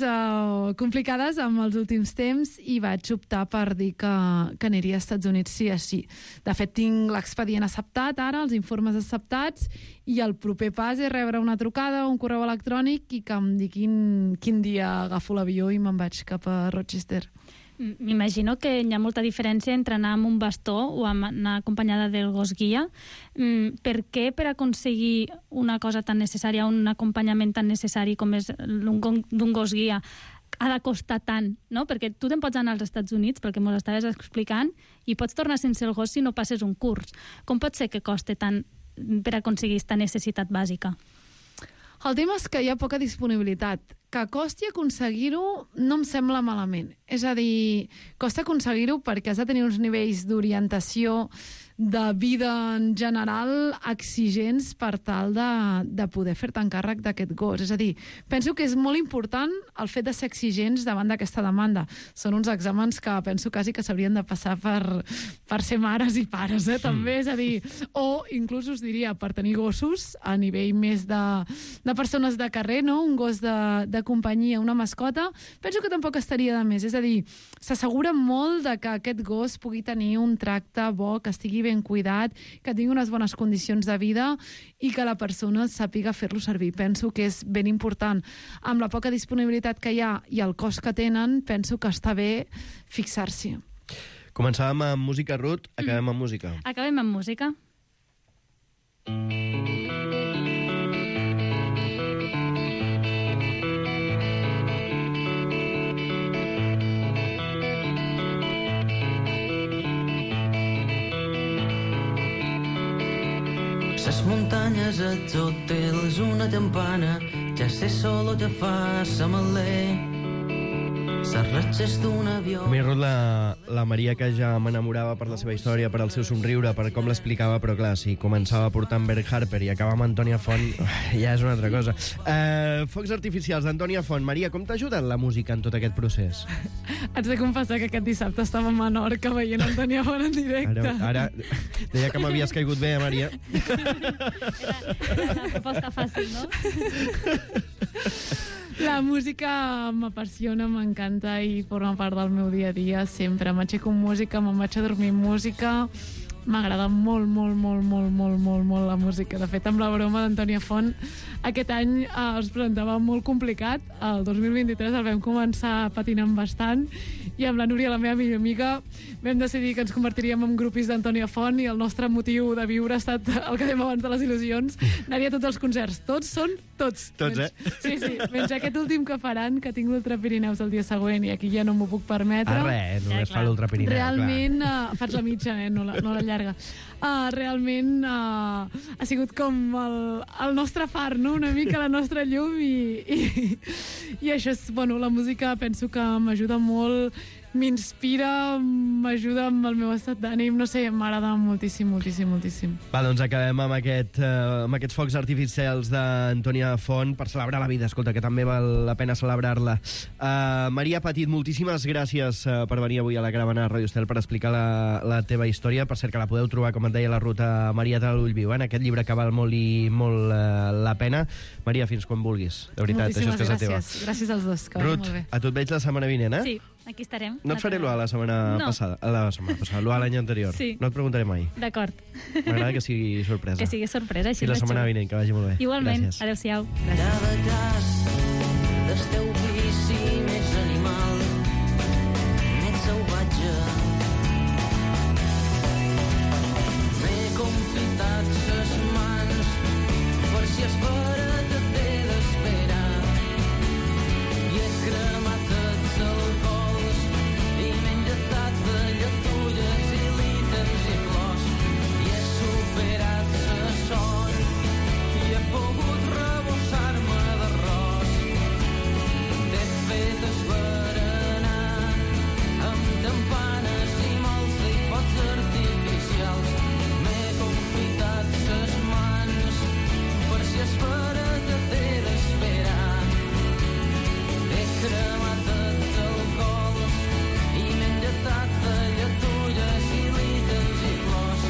complicades amb els últims temps, i vaig optar per dir que aniria als Estats Units sí o sí. De fet, tinc l'expedient acceptat ara, els informes acceptats, i el proper pas és rebre una trucada o un correu electrònic i que em diguin quin dia agafo l'avió i me'n vaig cap a Rochester. M'imagino que hi ha molta diferència entre anar amb un bastó o anar acompanyada del gos guia. Per què, per aconseguir una cosa tan necessària, un acompanyament tan necessari com és d'un gos guia, ha de costar tant, no? Perquè tu te'n pots anar als Estats Units, perquè m'ho estaves explicant, i pots tornar sense el gos si no passes un curs. Com pot ser que costi tant per aconseguir aquesta necessitat bàsica? El tema és que hi ha poca disponibilitat. Que costi aconseguir-ho no em sembla malament. És a dir, costa aconseguir-ho perquè has de tenir uns nivells d'orientació de vida en general exigents per tal de poder fer-te encàrrec d'aquest gos. És a dir, penso que és molt important el fet de ser exigents davant d'aquesta demanda. Són uns exàmens que penso quasi que s'haurien de passar per ser mares i pares, també. És a dir, o inclús us diria, per tenir gossos a nivell més de persones de carrer, no? Un gos de companyia, una mascota, penso que tampoc estaria de més. És a dir, s'assegura molt de que aquest gos pugui tenir un tracte bo, que estigui ben cuidat, que tingui unes bones condicions de vida i que la persona sàpiga fer-lo servir. Penso que és ben important. Amb la poca disponibilitat que hi ha i el cost que tenen, penso que està bé fixar-s'hi. Començàvem amb música, Ruth, acabem amb música. Acabem amb música. Les muntanyes, els hotels, una campana, ja sé solo te fa samalé. Les ratxes d'un avió... A mi, Ruth, la Maria, que ja m'enamorava per la seva història, per el seu somriure, per com l'explicava, però clar, si començava portant Bert Harper i acaba amb Antònia Font, ja és una altra cosa. Focs artificials d'Antònia Font. Maria, com t'ha ajudat la música en tot aquest procés? Haig de confessar que aquest dissabte estava a Menorca veient Antònia Font en directe. Ara deia que m'havies caigut bé, Maria. Era una proposta fàcil, no? La música m'apassiona, m'encanta i forma part del meu dia a dia sempre. M'aixeco amb música, me'n vaig a dormir amb música. M'agrada molt, molt, molt, molt, molt, molt, molt la música. De fet, amb la broma d'Antònia Font, aquest any es presentava molt complicat. El 2023 el vam començar patinant bastant i amb la Núria, la meva millor amiga, vam decidir que ens convertiríem en grupis d'Antònia Font i el nostre motiu de viure ha estat el que dèiem abans de les il·lusions, anar-hi a tots els concerts. Tots són tots. Tots, menys, sí, menys aquest últim que faran, que tinc l'Ultra Pirineus el dia següent i aquí ja no m'ho puc permetre. Res, només fa l'Ultra Pirineu. Realment, faig la mitja, no la llarga. Realment ha sigut com el nostre far, no? Una mica la nostra llum i això és, bueno, la música penso que m'ajuda molt m'inspira, m'ajuda amb el meu estat d'ànim, no sé, m'agrada moltíssim, moltíssim, moltíssim. Va, doncs acabem amb aquests focs artificials d'Antònia Font per celebrar la vida, escolta, que també val la pena celebrar-la. Maria Petit, moltíssimes gràcies per venir avui a la caravana de Radio Estel per explicar la teva història. Per cert, que la podeu trobar, com et deia, a la ruta Marieta de l'Ull Viu, en aquest llibre que val molt i molt la pena. Maria, fins quan vulguis. De veritat, moltíssimes això és casa teva. Gràcies als dos, que vagi Ruth, molt bé. A tu et veig la setmana vinent, eh? Sí, aquí estarem. No et faré l'UA la setmana passada. La setmana passada, l'UA l'any anterior. Sí. No et preguntaré mai. D'acord. M'agrada que sigui sorpresa. Que sigui sorpresa, així I la és setmana xulo. vinent, que vagi molt bé. Igualment. Gràcies. Adéu-siau. Cada cas del teu vici més animal, més salvatge. M'he confitat ses mans per si es fora que t'he d'esperar. I he cremat els alcohols i m'he injectat de lletulles i líquens i flors. I he superat la son i he pogut rebossar-me d'arròs. T'he fet esberenar amb campanes i molts i focs artificials. M'he confitat ses mans per si es fora que t'he d'esperar. He cremat els alcohols i m'he injectat de lletulles i líquens i flors.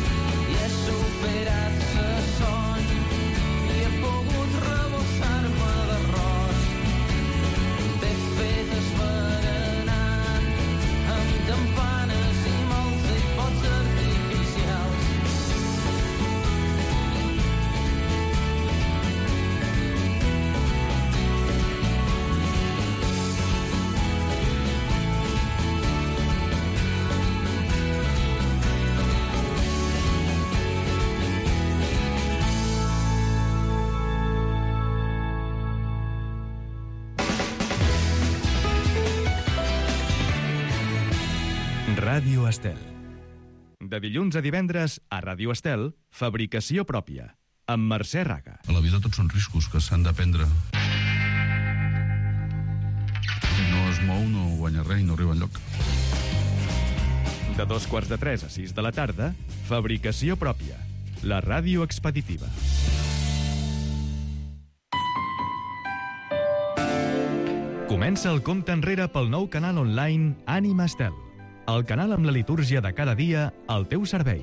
I he superat la son i he pogut rebossar-me d'arròs. T'he fet esberenar amb campanes i molts i focs artificials. Ràdio Estel. De dilluns a divendres, a Ràdio Estel, fabricació pròpia, amb Mercè Raga. A la vida tots són riscos que s'han de prendre. Si no es mou, no guanya res i no arriba enlloc. De 2:45 a 6 de la tarda, fabricació pròpia, la ràdio expeditiva. Comença el compte enrere pel nou canal online Ànima Estel. El canal amb la litúrgia de cada dia al teu servei.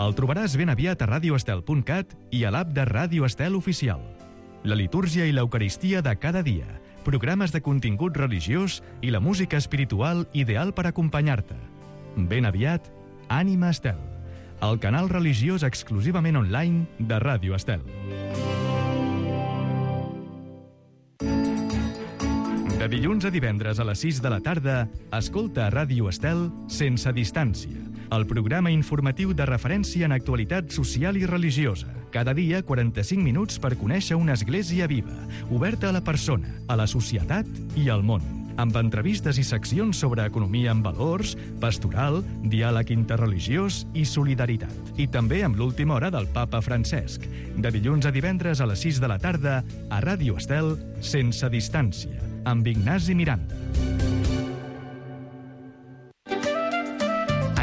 El trobaràs ben aviat a radioestel.cat i a l'app de Ràdio Estel Oficial. La litúrgia i l'eucaristia de cada dia, programes de contingut religiós i la música espiritual ideal per acompanyar-te. Ben aviat, Ànima Estel, el canal religiós exclusivament online de Ràdio Estel. De dilluns a divendres a les 6 de la tarda, escolta a Ràdio Estel Sense Distància, el programa informatiu de referència en actualitat social i religiosa. Cada dia 45 minuts per conèixer una església viva, oberta a la persona, a la societat i al món. Amb entrevistes i seccions sobre economia amb valors, pastoral, diàleg interreligiós i solidaritat. I també amb l'última hora del papa Francesc. De dilluns a divendres a les 6 de la tarda, a Ràdio Estel Sense Distància, amb Ignasi Miranda.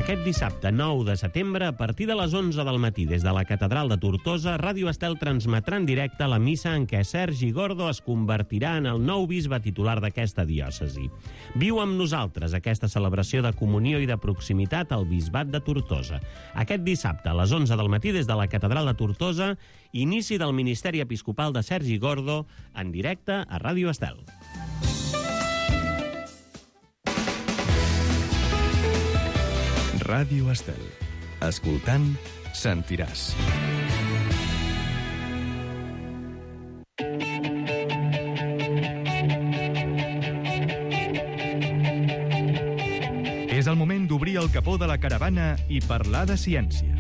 Aquest dissabte 9 de setembre, a partir de les 11 del matí, des de la Catedral de Tortosa, Ràdio Estel transmetrà en directe la missa en què Sergi Gordo es convertirà en el nou bisbe titular d'aquesta diòcesi. Viu amb nosaltres aquesta celebració de comunió i de proximitat al bisbat de Tortosa. Aquest dissabte, a les 11 del matí, des de la Catedral de Tortosa, inici del ministeri episcopal de Sergi Gordo, en directe a Ràdio Estel. Ràdio Estel. Escoltant, sentiràs. És el moment d'obrir el capó de la caravana i parlar de ciència.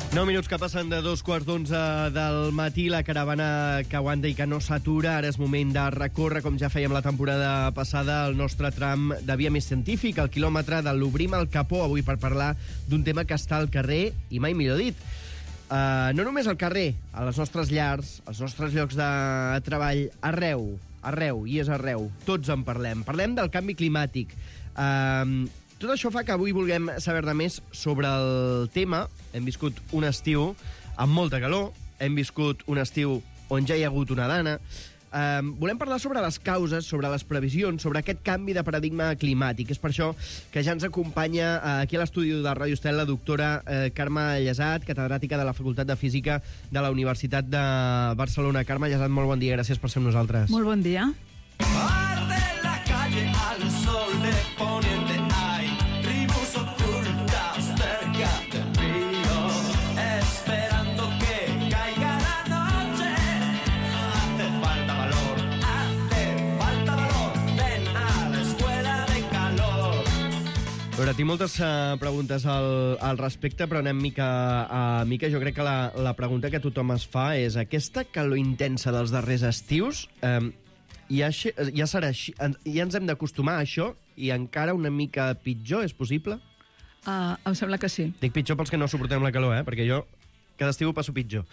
Nou minuts que passen de 2:15 del matí, la caravana que aguanta i que no s'atura. Ara és moment de recórrer, com ja fèiem la temporada passada, el nostre tram de via més científic, el quilòmetre de l'Obrim el capó, avui per parlar d'un tema que està al carrer, i mai millor dit. No només al carrer, a les nostres llars, als nostres llocs de treball, arreu, i és arreu. Tots en parlem. Parlem del canvi climàtic. Tot això fa que avui vulguem saber-ne més sobre el tema. Hem viscut un estiu amb molta calor, hem viscut un estiu on ja hi ha hagut una dana. Volem parlar sobre les causes, sobre les previsions, sobre aquest canvi de paradigma climàtic. És per això que ja ens acompanya aquí a l'estudi de Ràdio Estel la doctora Carme Llesat, catedràtica de la Facultat de Física de la Universitat de Barcelona. Carme Llesat, molt bon dia, gràcies per ser amb nosaltres. Molt bon dia. Arde la calle al sol de poniente hay tribus ocultas cerca del río esperando que caiga la noche. Hace falta valor, ven a la escuela de calor. A veure, tinc moltes preguntes al respecte, però anem mica a mica. Jo crec que la pregunta que tothom es fa és aquesta calor intensa dels darrers estius... Ja serà així, ja ens hem d'acostumar a això i encara una mica pitjor, és possible? Em sembla que sí. Dic pitjor pels que no suportem la calor, perquè jo cada estiu ho passo pitjor.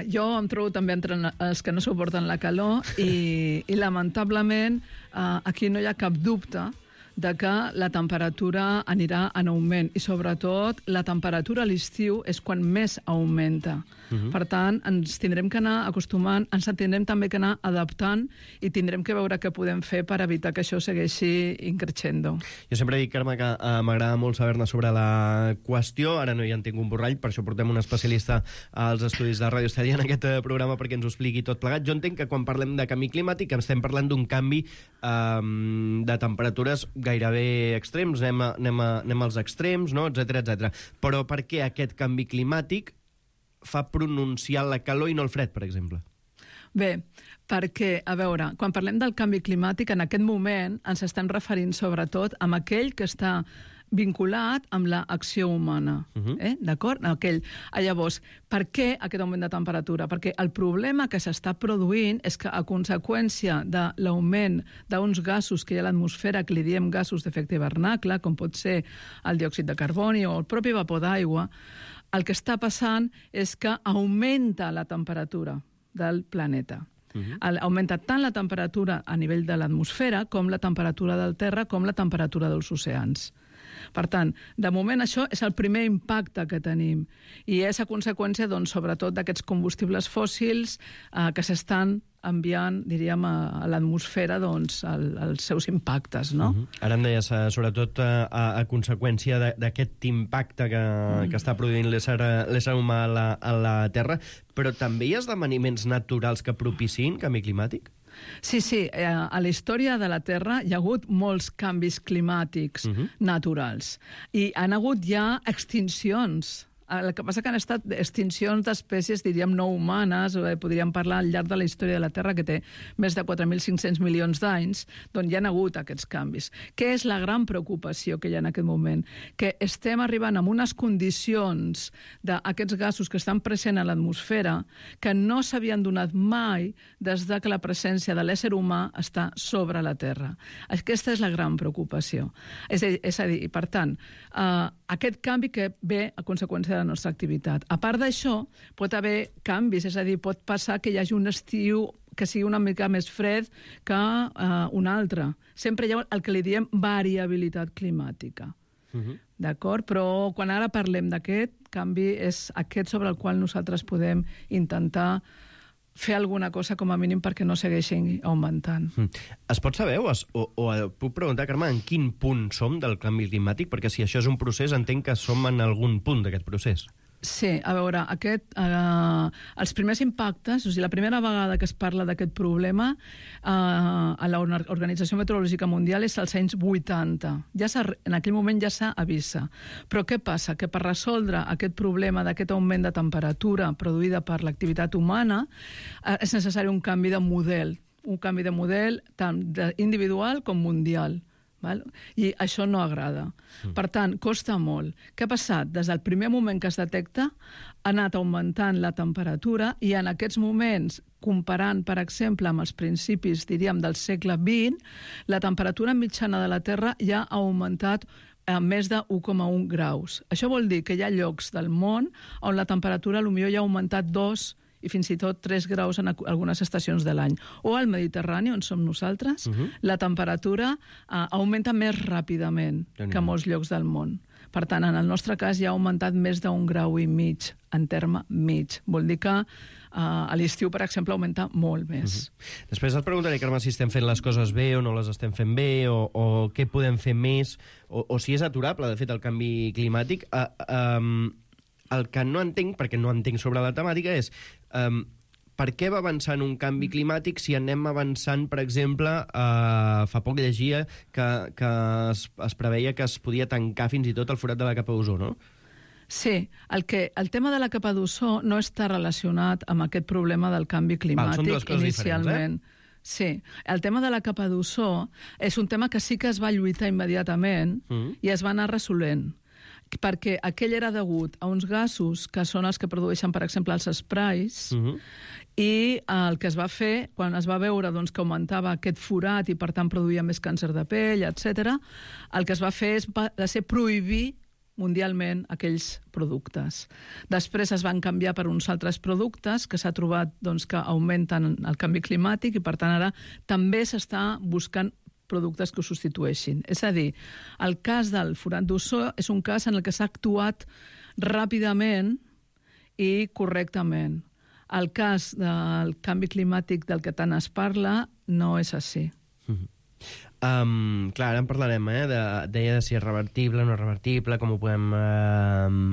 Jo em trobo també entre els que no suporten la calor i lamentablement aquí no hi ha cap dubte de que la temperatura anirà en augment i sobretot la temperatura a l'estiu és quan més augmenta. Per tant, ens tindrem que anar acostumant, ens tindrem també que anar adaptant i tindrem que veure què podem fer per evitar que això segueixi increixendo. Jo sempre dic, Carme, que m'agrada molt saber-ne sobre la qüestió. Ara no hi en tinc un borrall, per això portem un especialista als estudis de Ràdio Estel en aquest programa perquè ens ho expliqui tot plegat. Jo entenc que quan parlem de canvi climàtic estem parlant d'un canvi de temperatures gairebé extrems, anem als extrems, no? etcètera. Però per què aquest canvi climàtic fa pronunciar la calor i no el fred, per exemple? Bé, perquè, a veure, quan parlem del canvi climàtic, en aquest moment ens estem referint sobretot a aquell que està vinculat amb l'acció humana. D'acord? Llavors, per què aquest augment de temperatura? Perquè el problema que s'està produint és que a conseqüència de l'augment d'uns gasos que hi ha a l'atmosfera, que li diem gasos d'efecte hivernacle, com pot ser el diòxid de carboni o el propi vapor d'aigua, el que està passant és que augmenta la temperatura del planeta. Augmenta tant la temperatura a nivell de l'atmosfera com la temperatura del terra com la temperatura dels oceans. Per tant, de moment això és el primer impacte que tenim i és a conseqüència, doncs, sobretot d'aquests combustibles fòssils que s'estan enviant, diríem, a l'atmosfera doncs, els seus impactes, no? Ara em deies, sobretot a conseqüència d'aquest impacte que està produint l'ésser humà a la Terra, però també hi ha esdeveniments naturals que propiciïn canvi climàtic? Sí, a la història de la Terra hi ha hagut molts canvis climàtics naturals i han hagut ja extincions. El que passa que han estat extincions d'espècies, diríem, no humanes, podríem parlar al llarg de la història de la Terra, que té més de 4.500 milions d'anys, doncs hi ha hagut aquests canvis. Què és la gran preocupació que hi ha en aquest moment? Que estem arribant a unes condicions d'aquests gasos que estan presents a l'atmosfera que no s'havien donat mai des que la presència de l'ésser humà està sobre la Terra. Aquesta és la gran preocupació. És a dir, per tant, aquest canvi que ve a conseqüència de la nostra activitat. A part d'això, pot haver canvis, és a dir, pot passar que hi hagi un estiu que sigui una mica més fred que un altre. Sempre hi ha el que li diem variabilitat climàtica. D'acord? Però quan ara parlem d'aquest canvi, és aquest sobre el qual nosaltres podem intentar fer alguna cosa, com a mínim, perquè no segueixin augmentant. Es pot saber, o puc preguntar, Carme, en quin punt som del canvi climàtic? Perquè si això és un procés, entenc que som en algun punt d'aquest procés. Sí, a veure, els primers impactes, o sigui, la primera vegada que es parla d'aquest problema a l'Organització Meteorològica Mundial és als anys 80. En aquell moment ja s'avisa. Però què passa? Que per resoldre aquest problema d'aquest augment de temperatura produïda per l'activitat humana és necessari un canvi de model tant individual com mundial. I això no agrada. Per tant, costa molt. Què ha passat? Des del primer moment que es detecta, ha anat augmentant la temperatura i en aquests moments, comparant, per exemple, amb els principis, diríem, del segle XX, la temperatura mitjana de la Terra ja ha augmentat a més de 1,1 graus. Això vol dir que hi ha llocs del món on la temperatura potser ja ha augmentat 2 i fins i tot 3 graus en algunes estacions de l'any. O al Mediterrani, on som nosaltres, la temperatura augmenta més ràpidament que a molts llocs del món. Per tant, en el nostre cas ja ha augmentat més d'1,5 graus en terme mig. Vol dir que a l'estiu, per exemple, augmenta molt més. Després et preguntaré, Carme, si estem fent les coses bé o no les estem fent bé, o què podem fer més, o si és aturable, de fet, el canvi climàtic. El que no entenc, perquè no entenc sobre la temàtica, és per què va avançant un canvi climàtic si anem avançant, per exemple, fa poc llegia que es preveia que es podia tancar fins i tot el forat de la capa d'ozó, no? Sí, el tema de la capa d'ozó no està relacionat amb aquest problema del canvi climàtic inicialment. Sí, el tema de la capa d'ozó és un tema que sí que es va lluitar immediatament i es va anar resolent, perquè aquell era degut a uns gasos que són els que produeixen, per exemple, els sprays, i el que es va fer, quan es va veure doncs, que augmentava aquest forat i, per tant, produïa més càncer de pell, etc., el que es va fer va ser prohibir mundialment aquells productes. Després es van canviar per uns altres productes que s'ha trobat doncs, que augmenten el canvi climàtic i, per tant, ara també s'està buscant productes que ho substitueixin. És a dir, el cas del forat d'ozó és un cas en el que s'ha actuat ràpidament i correctament. El cas del canvi climàtic del que tant es parla no és així. Clar, ara en parlarem, deia de si és revertible o no revertible, com ho podem,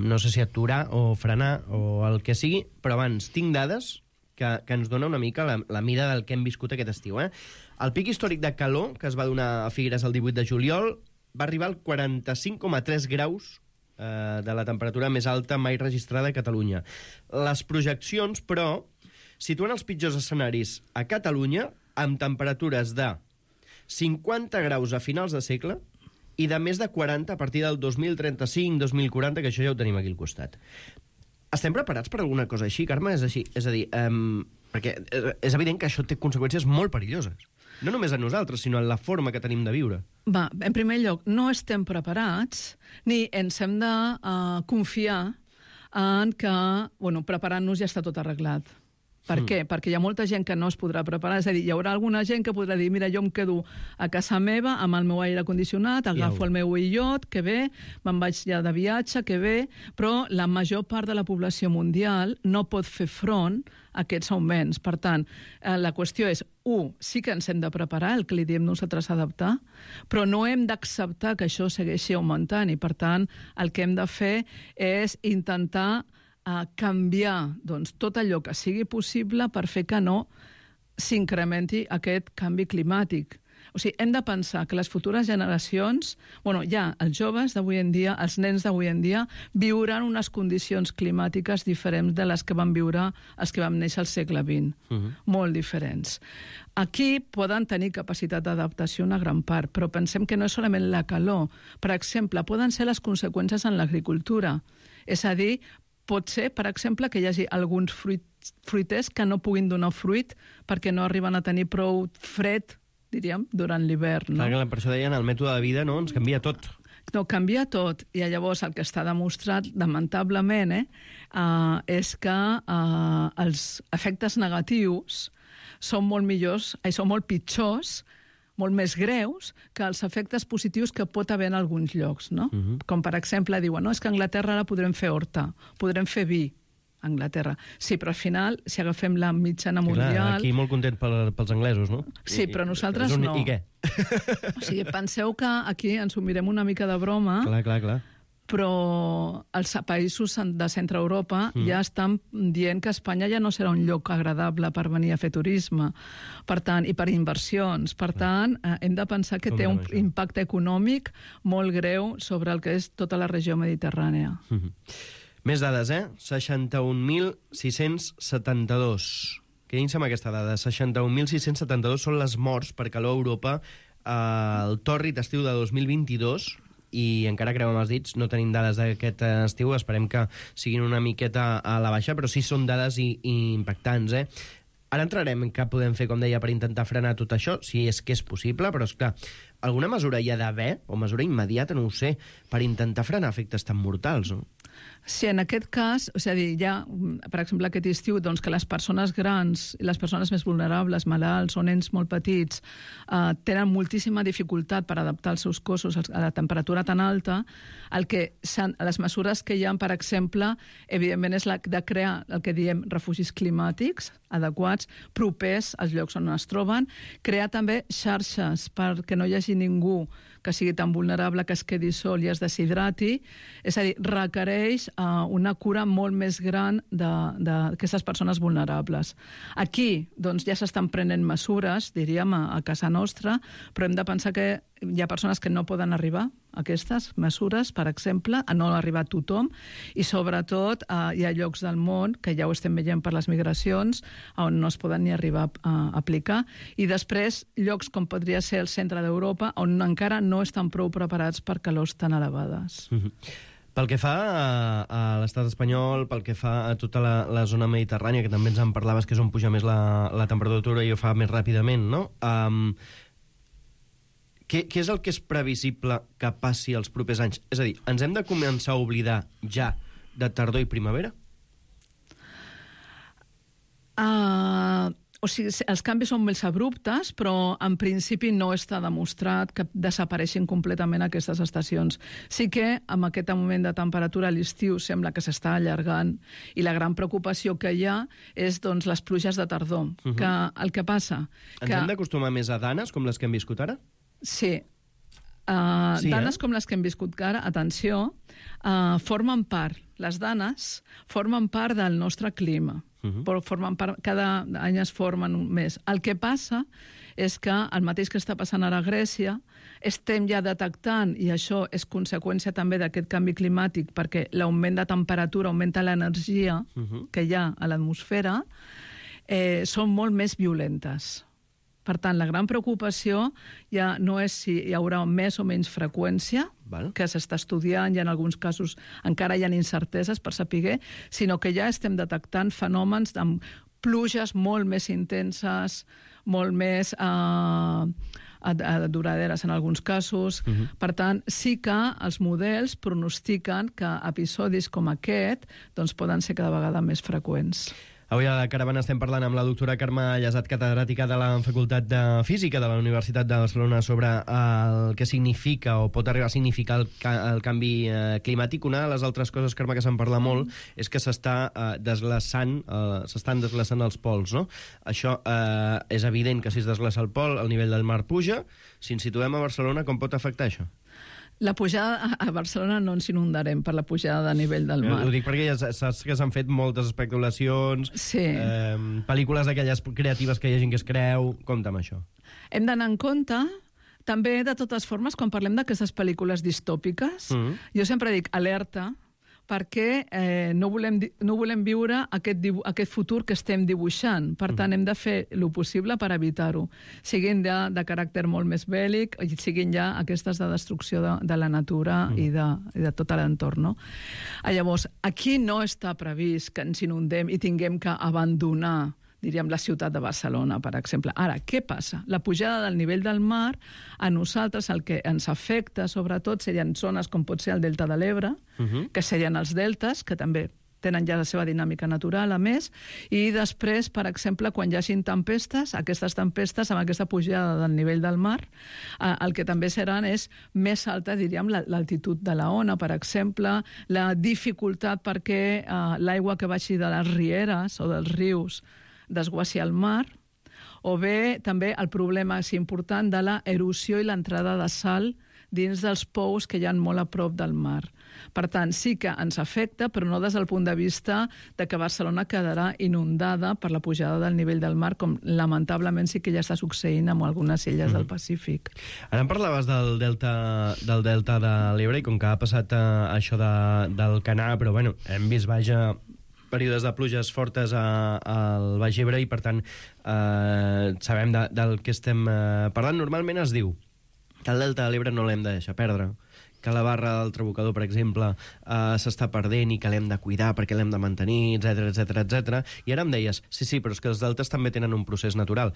no sé si aturar o frenar o el que sigui, però abans tinc dades que ens dona una mica la mida del que hem viscut aquest estiu. El pic històric de calor, que es va donar a Figueres el 18 de juliol, va arribar al 45,3 graus de la temperatura més alta mai registrada a Catalunya. Les projeccions, però, situen els pitjors escenaris a Catalunya amb temperatures de 50 graus a finals de segle i de més de 40 a partir del 2035-2040, que això ja ho tenim aquí al costat. Estem preparats per alguna cosa així, Carme? És a dir, perquè és evident que això té conseqüències molt perilloses. No només a nosaltres, sinó en la forma que tenim de viure. Va, en primer lloc, no estem preparats ni ens hem de confiar en que, preparant-nos ja està tot arreglat. Per què? Perquè hi ha molta gent que no es podrà preparar. És a dir, hi haurà alguna gent que podrà dir mira, jo em quedo a casa meva amb el meu aire condicionat, agafo el meu illot, que bé, me'n vaig ja de viatge, que bé, però la major part de la població mundial no pot fer front a aquests augments. Per tant, la qüestió és, sí que ens hem de preparar, el que li diem nosaltres adaptar, però no hem d'acceptar que això segueixi augmentant i, per tant, el que hem de fer és intentar canviar tot allò que sigui possible per fer que no s'incrementi aquest canvi climàtic. O sigui, hem de pensar que les futures generacions, ja els joves d'avui en dia, els nens d'avui en dia, viuran unes condicions climàtiques diferents de les que van viure els que vam néixer al segle XX. Molt diferents. Aquí poden tenir capacitat d'adaptació una gran part, però pensem que no és solament la calor. Per exemple, poden ser les conseqüències en l'agricultura. És a dir, pot ser, per exemple, que hi hagi alguns fruiters que no puguin donar fruit perquè no arriben a tenir prou fred, diríem, durant l'hivern. No? Clar, per això deien, el mètode de vida ens canvia tot. No, canvia tot. I llavors el que està demostrat, lamentablement, és que els efectes negatius són molt pitjors, molt més greus que els efectes positius que pot haver en alguns llocs, no? Com, per exemple, diuen, és que a Anglaterra ara podrem fer horta, podrem fer vi a Anglaterra. Sí, però al final, si agafem la mitjana mundial... Clar, aquí molt content pels anglesos, no? Sí, però nosaltres no. I què? O sigui, penseu que aquí ens ho mirem una mica de broma... Clar. Però els països de centre Europa ja estan dient que Espanya ja no serà un lloc agradable per venir a fer turisme, per tant, i per inversions. Per tant, hem de pensar que té un impacte econòmic molt greu sobre el que és tota la regió mediterrània. Més dades, 61.672. Quedin-se amb aquesta dada. 61.672 són les morts per calor a Europa al tòrrid estiu de 2022, i encara creuem els dits, no tenim dades d'aquest estiu, esperem que siguin una miqueta a la baixa, però sí són dades impactants. Ara entrarem en què podem fer, com deia, per intentar frenar tot això, si és que és possible, però, esclar, alguna mesura hi ha d'haver, o mesura immediata, no ho sé, per intentar frenar efectes tan mortals, no? Sí, en aquest cas, és a dir, ja, per exemple, aquest estiu, doncs, que les persones grans i les persones més vulnerables, malalts o nens molt petits, tenen moltíssima dificultat per adaptar els seus cossos a la temperatura tan alta, les mesures que hi ha, per exemple, evidentment és la de crear el que diem refugis climàtics adequats, propers als llocs on es troben, crear també xarxes perquè no hi hagi ningú que sigui tan vulnerable que es quedi sol i es deshidrati, és a dir, requereix una cura molt més gran d'aquestes persones vulnerables. Aquí doncs, ja s'estan prenent mesures, diríem, a casa nostra, però hem de pensar que hi ha persones que no poden arribar a aquestes mesures, per exemple, a no arribar a tothom, i sobretot hi ha llocs del món, que ja ho estem veient per les migracions, on no es poden ni arribar a aplicar, i després llocs com podria ser el centre d'Europa, on encara no estan prou preparats per calors tan elevades. Pel que fa a l'estat espanyol, pel que fa a tota la zona mediterrània, que també ens en parlaves, que és on puja més la temperatura i ho fa més ràpidament, no? Què és el que és previsible que passi els propers anys? És a dir, ens hem de començar a oblidar ja de tardor i primavera? O sigui, els canvis són més abruptes, però en principi no està demostrat que desapareixin completament aquestes estacions. Sí que amb aquest augment de temperatura a l'estiu sembla que s'està allargant, i la gran preocupació que hi ha és doncs, les pluges de tardor. Que el que passa... Ens hem d'acostumar més a danes com les que hem viscut ara? Sí. Danes com les que hem viscut ara, atenció, formen part, les danes formen part del nostre clima. Però formen part, cada any es formen més. El que passa és que el mateix que està passant ara a Grècia, estem ja detectant, i això és conseqüència també d'aquest canvi climàtic, perquè l'augment de temperatura augmenta l'energia que hi ha a l'atmosfera, són molt més violentes. Per tant, la gran preocupació ja no és si hi haurà més o menys freqüència, que s'està estudiant, i en alguns casos encara hi ha incerteses per saber, sinó que ja estem detectant fenòmens amb pluges molt més intenses, molt més duraderes en alguns casos. Per tant, sí que els models pronostiquen que episodis com aquest doncs, poden ser cada vegada més freqüents. Avui a la Caravana estem parlant amb la doctora Carme Llesat, catedràtica de la Facultat de Física de la Universitat de Barcelona, sobre el que significa o pot arribar a significar el canvi climàtic. Una de les altres coses, Carme, que se'n parla molt és que s'estan desglaçant els pols, no? Això és evident que si es desglaça el pol, el nivell del mar puja. Si ens situem a Barcelona, com pot afectar això? La pujada a Barcelona no ens inundarem per la pujada de nivell del mar. Ho dic perquè ja saps que s'han fet moltes especulacions, pel·lícules d'aquelles creatives que hi ha gent que es creu. Compte amb això. Hem d'anar en compte, també, de totes formes, quan parlem d'aquestes pel·lícules distòpiques, jo sempre dic alerta, perquè no volem viure aquest futur que estem dibuixant. Per tant, hem de fer el possible per evitar-ho. Siguin ja de caràcter molt més bèl·lic, i siguin ja aquestes de destrucció de la natura i de tot l'entorn. Llavors, aquí no està previst que ens inundem i tinguem que abandonar, diríem, la ciutat de Barcelona, per exemple. Ara, què passa? La pujada del nivell del mar, a nosaltres el que ens afecta, sobretot, serien zones com pot ser el Delta de l'Ebre, que serien els deltes, que també tenen ja la seva dinàmica natural, a més, i després, per exemple, quan hi hagin tempestes, aquestes tempestes, amb aquesta pujada del nivell del mar, el que també seran és més alta, diríem, l'altitud de la ona, per exemple, la dificultat perquè l'aigua que baixi de les rieres o dels rius desguassi al mar, o bé també el problema important de la erosió i l'entrada de sal dins dels pous que hi ha molt a prop del mar. Per tant, sí que ens afecta, però no des del punt de vista de que Barcelona quedarà inundada per la pujada del nivell del mar, com lamentablement sí que ja està succeint amb algunes illes del Pacífic. Ara em parlaves del delta de l'Ebre, i com que ha passat això del Canà, però bueno, hem vist, vaja, períodes de pluges fortes al Baix Ebre, i per tant sabem del que estem parlant. Normalment es diu que el delta de l'Ebre no l'hem de deixar perdre, que la barra del Trabucador, per exemple, s'està perdent i que l'hem de cuidar perquè l'hem de mantenir, etc. I ara em deies, sí, però és que els deltes també tenen un procés natural.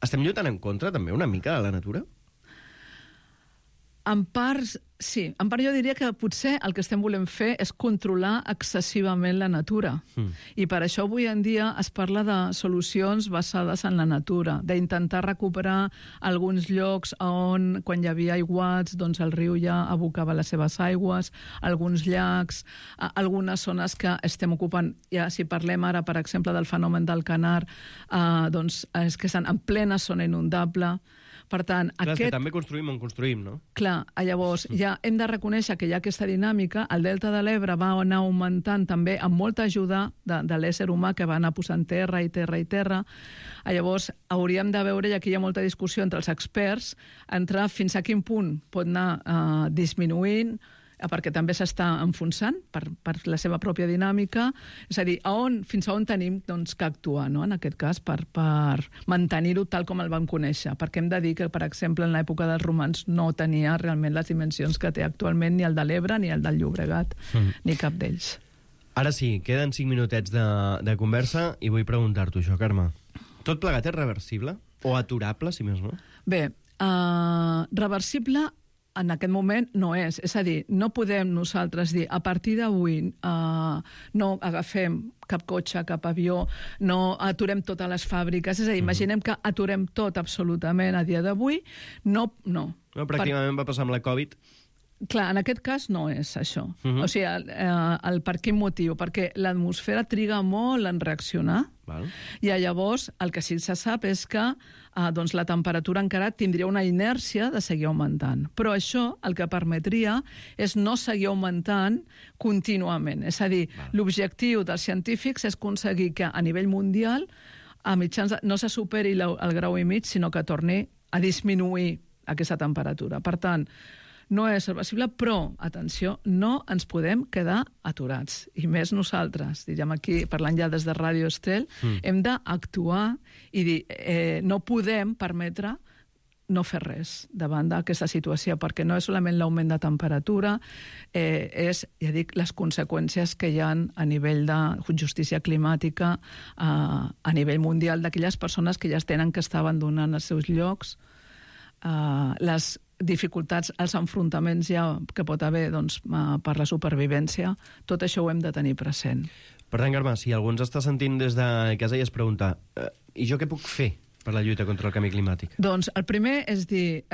Estem lluitant en contra, també, una mica, de la natura? En part, sí. En part jo diria que potser el que estem volent fer és controlar excessivament la natura. I per això avui en dia es parla de solucions basades en la natura, d'intentar recuperar alguns llocs on, quan hi havia aiguats, doncs el riu ja abocava les seves aigües, alguns llacs, algunes zones que estem ocupant, ja si parlem ara, per exemple, del fenomen del Canar, doncs és que estan en plena zona inundable. Per tant, clar, que també construïm on construïm, no? Clar, llavors ja hem de reconèixer que hi ha aquesta dinàmica. El Delta de l'Ebre va anar augmentant també amb molta ajuda de l'ésser humà que va anar posant terra i terra i terra. Llavors hauríem de veure, i aquí hi ha molta discussió entre els experts, entre fins a quin punt pot anar disminuint, perquè també s'està enfonsant per la seva pròpia dinàmica. És a dir, fins a on tenim doncs, que actuar, no? En aquest cas, per mantenir-ho tal com el vam conèixer. Perquè hem de dir que, per exemple, en l'època dels romans no tenia realment les dimensions que té actualment ni el de l'Ebre ni el del Llobregat, ni cap d'ells. Ara sí, queden 5 minutets de conversa i vull preguntar-t'ho això, Carme. Tot plegat és reversible? O aturable, si més no? Bé, reversible en aquest moment no és. És a dir, no podem nosaltres dir a partir d'avui no agafem cap cotxe, cap avió, no aturem totes les fàbriques. És a dir, imaginem que aturem tot absolutament a dia d'avui. No. Pràcticament va passar amb la Covid. Clar, en aquest cas no és això. O sigui, per quin motiu? Perquè l'atmosfera triga molt en reaccionar. I llavors el que sí se sap és que doncs la temperatura encara tindria una inèrcia de seguir augmentant. Però això el que permetria és no seguir augmentant contínuament. És a dir, l'objectiu dels científics és aconseguir que a nivell mundial a mitjans no se superi el grau i mig, sinó que torni a disminuir aquesta temperatura. Per tant, no és reversible, però, atenció, no ens podem quedar aturats. I més nosaltres, diríem aquí, parlant ja des de Ràdio Estel, hem d'actuar i dir, no podem permetre no fer res davant d'aquesta situació, perquè no és solament l'augment de temperatura, és, ja dic, les conseqüències que hi ha a nivell de justícia climàtica, a nivell mundial, d'aquelles persones que ja tenen que estar abandonant els seus llocs, les dificultats, els enfrontaments ja que pot haver doncs, per la supervivència, tot això ho hem de tenir present. Per tant, Carme, si algú ens està sentint des de casa i es pregunta i jo què puc fer per la lluita contra el canvi climàtic? Doncs el primer és dir,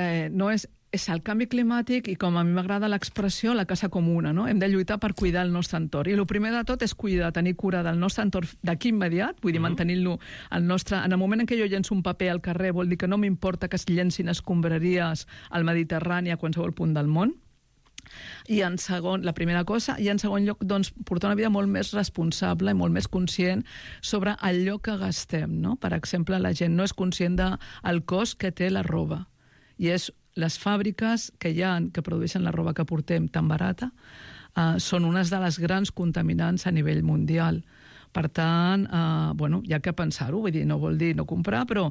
és el canvi climàtic i, com a mi m'agrada l'expressió, la casa comuna, no? Hem de lluitar per cuidar el nostre entorn. I el primer de tot és cuidar, tenir cura del nostre entorn d'aquí immediat, vull dir, mantenint-lo al nostre... En el moment en què jo llenço un paper al carrer, vol dir que no m'importa que es llencin escombraries al Mediterrani a qualsevol punt del món. I en segon, la primera cosa, i en segon lloc, doncs, portar una vida molt més responsable i molt més conscient sobre allò que gastem, no? Per exemple, la gent no és conscient del cost que té la roba. I és les fàbriques que hi ha, que produeixen la roba que portem tan barata, són unes de les grans contaminants a nivell mundial. Per tant, hi ha que pensar-ho, vull dir, no vol dir no comprar, però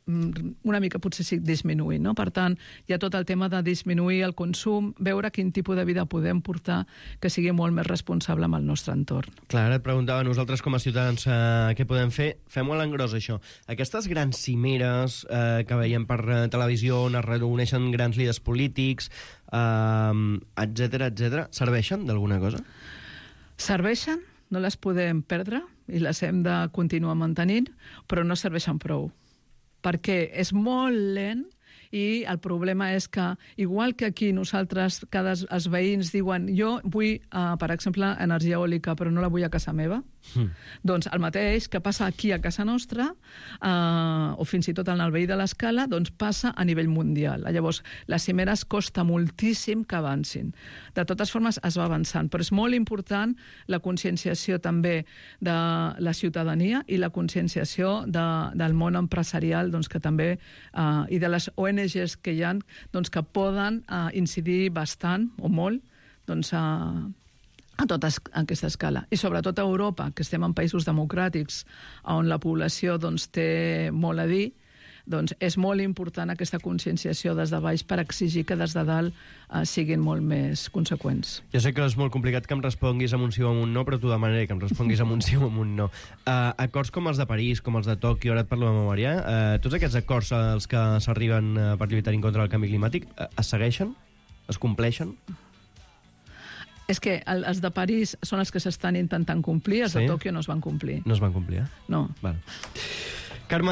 una mica potser sí disminuir, no? Per tant, hi ha tot el tema de disminuir el consum, veure quin tipus de vida podem portar que sigui molt més responsable amb el nostre entorn. Clar, ara et preguntava, nosaltres com a ciutadans què podem fer? Fem-ho a l'engròs, això. Aquestes grans cimeres que veiem per televisió on es reuneixen grans líders polítics, etc., serveixen d'alguna cosa? Serveixen, no les podem perdre i les hem de continuar mantenint, però no serveixen prou, perquè és molt lent i el problema és que, igual que aquí nosaltres, els veïns diuen jo vull, per exemple, energia eòlica, però no la vull a casa meva, doncs el mateix que passa aquí a casa nostra, o fins i tot en el veí de l'Escala, doncs passa a nivell mundial. Llavors, les cimeres costa moltíssim que avancin. De totes formes, es va avançant, però és molt important la conscienciació també de la ciutadania i la conscienciació del món empresarial, doncs, que també, i de les ONGs que hi ha, doncs, que poden incidir bastant o molt doncs, a tota aquesta escala. I sobretot a Europa, que estem en països democràtics on la població doncs, té molt a dir, doncs és molt important aquesta conscienciació des de baix per exigir que des de dalt siguin molt més conseqüents. Jo sé que és molt complicat que em responguis amb un sí o amb un no, però t'ho demanaré, que em responguis amb un sí o amb un no. Acords com els de París, com els de Tòquio, ara et parlo de memòria, tots aquests acords als que s'arriben per lluitar en contra del canvi climàtic, es segueixen? Es compleixen? És que els de París són els que s'estan intentant complir, els de Tòquio no es van complir. No es van complir, No. Val. Carme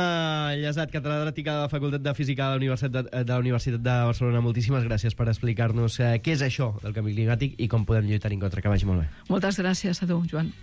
Llesat, catedràtica de la Facultat de Física de la Universitat de Barcelona, moltíssimes gràcies per explicar-nos què és això del canvi climàtic i com podem lluitar en contra. Que vagi molt bé. Moltes gràcies a tu, Joan.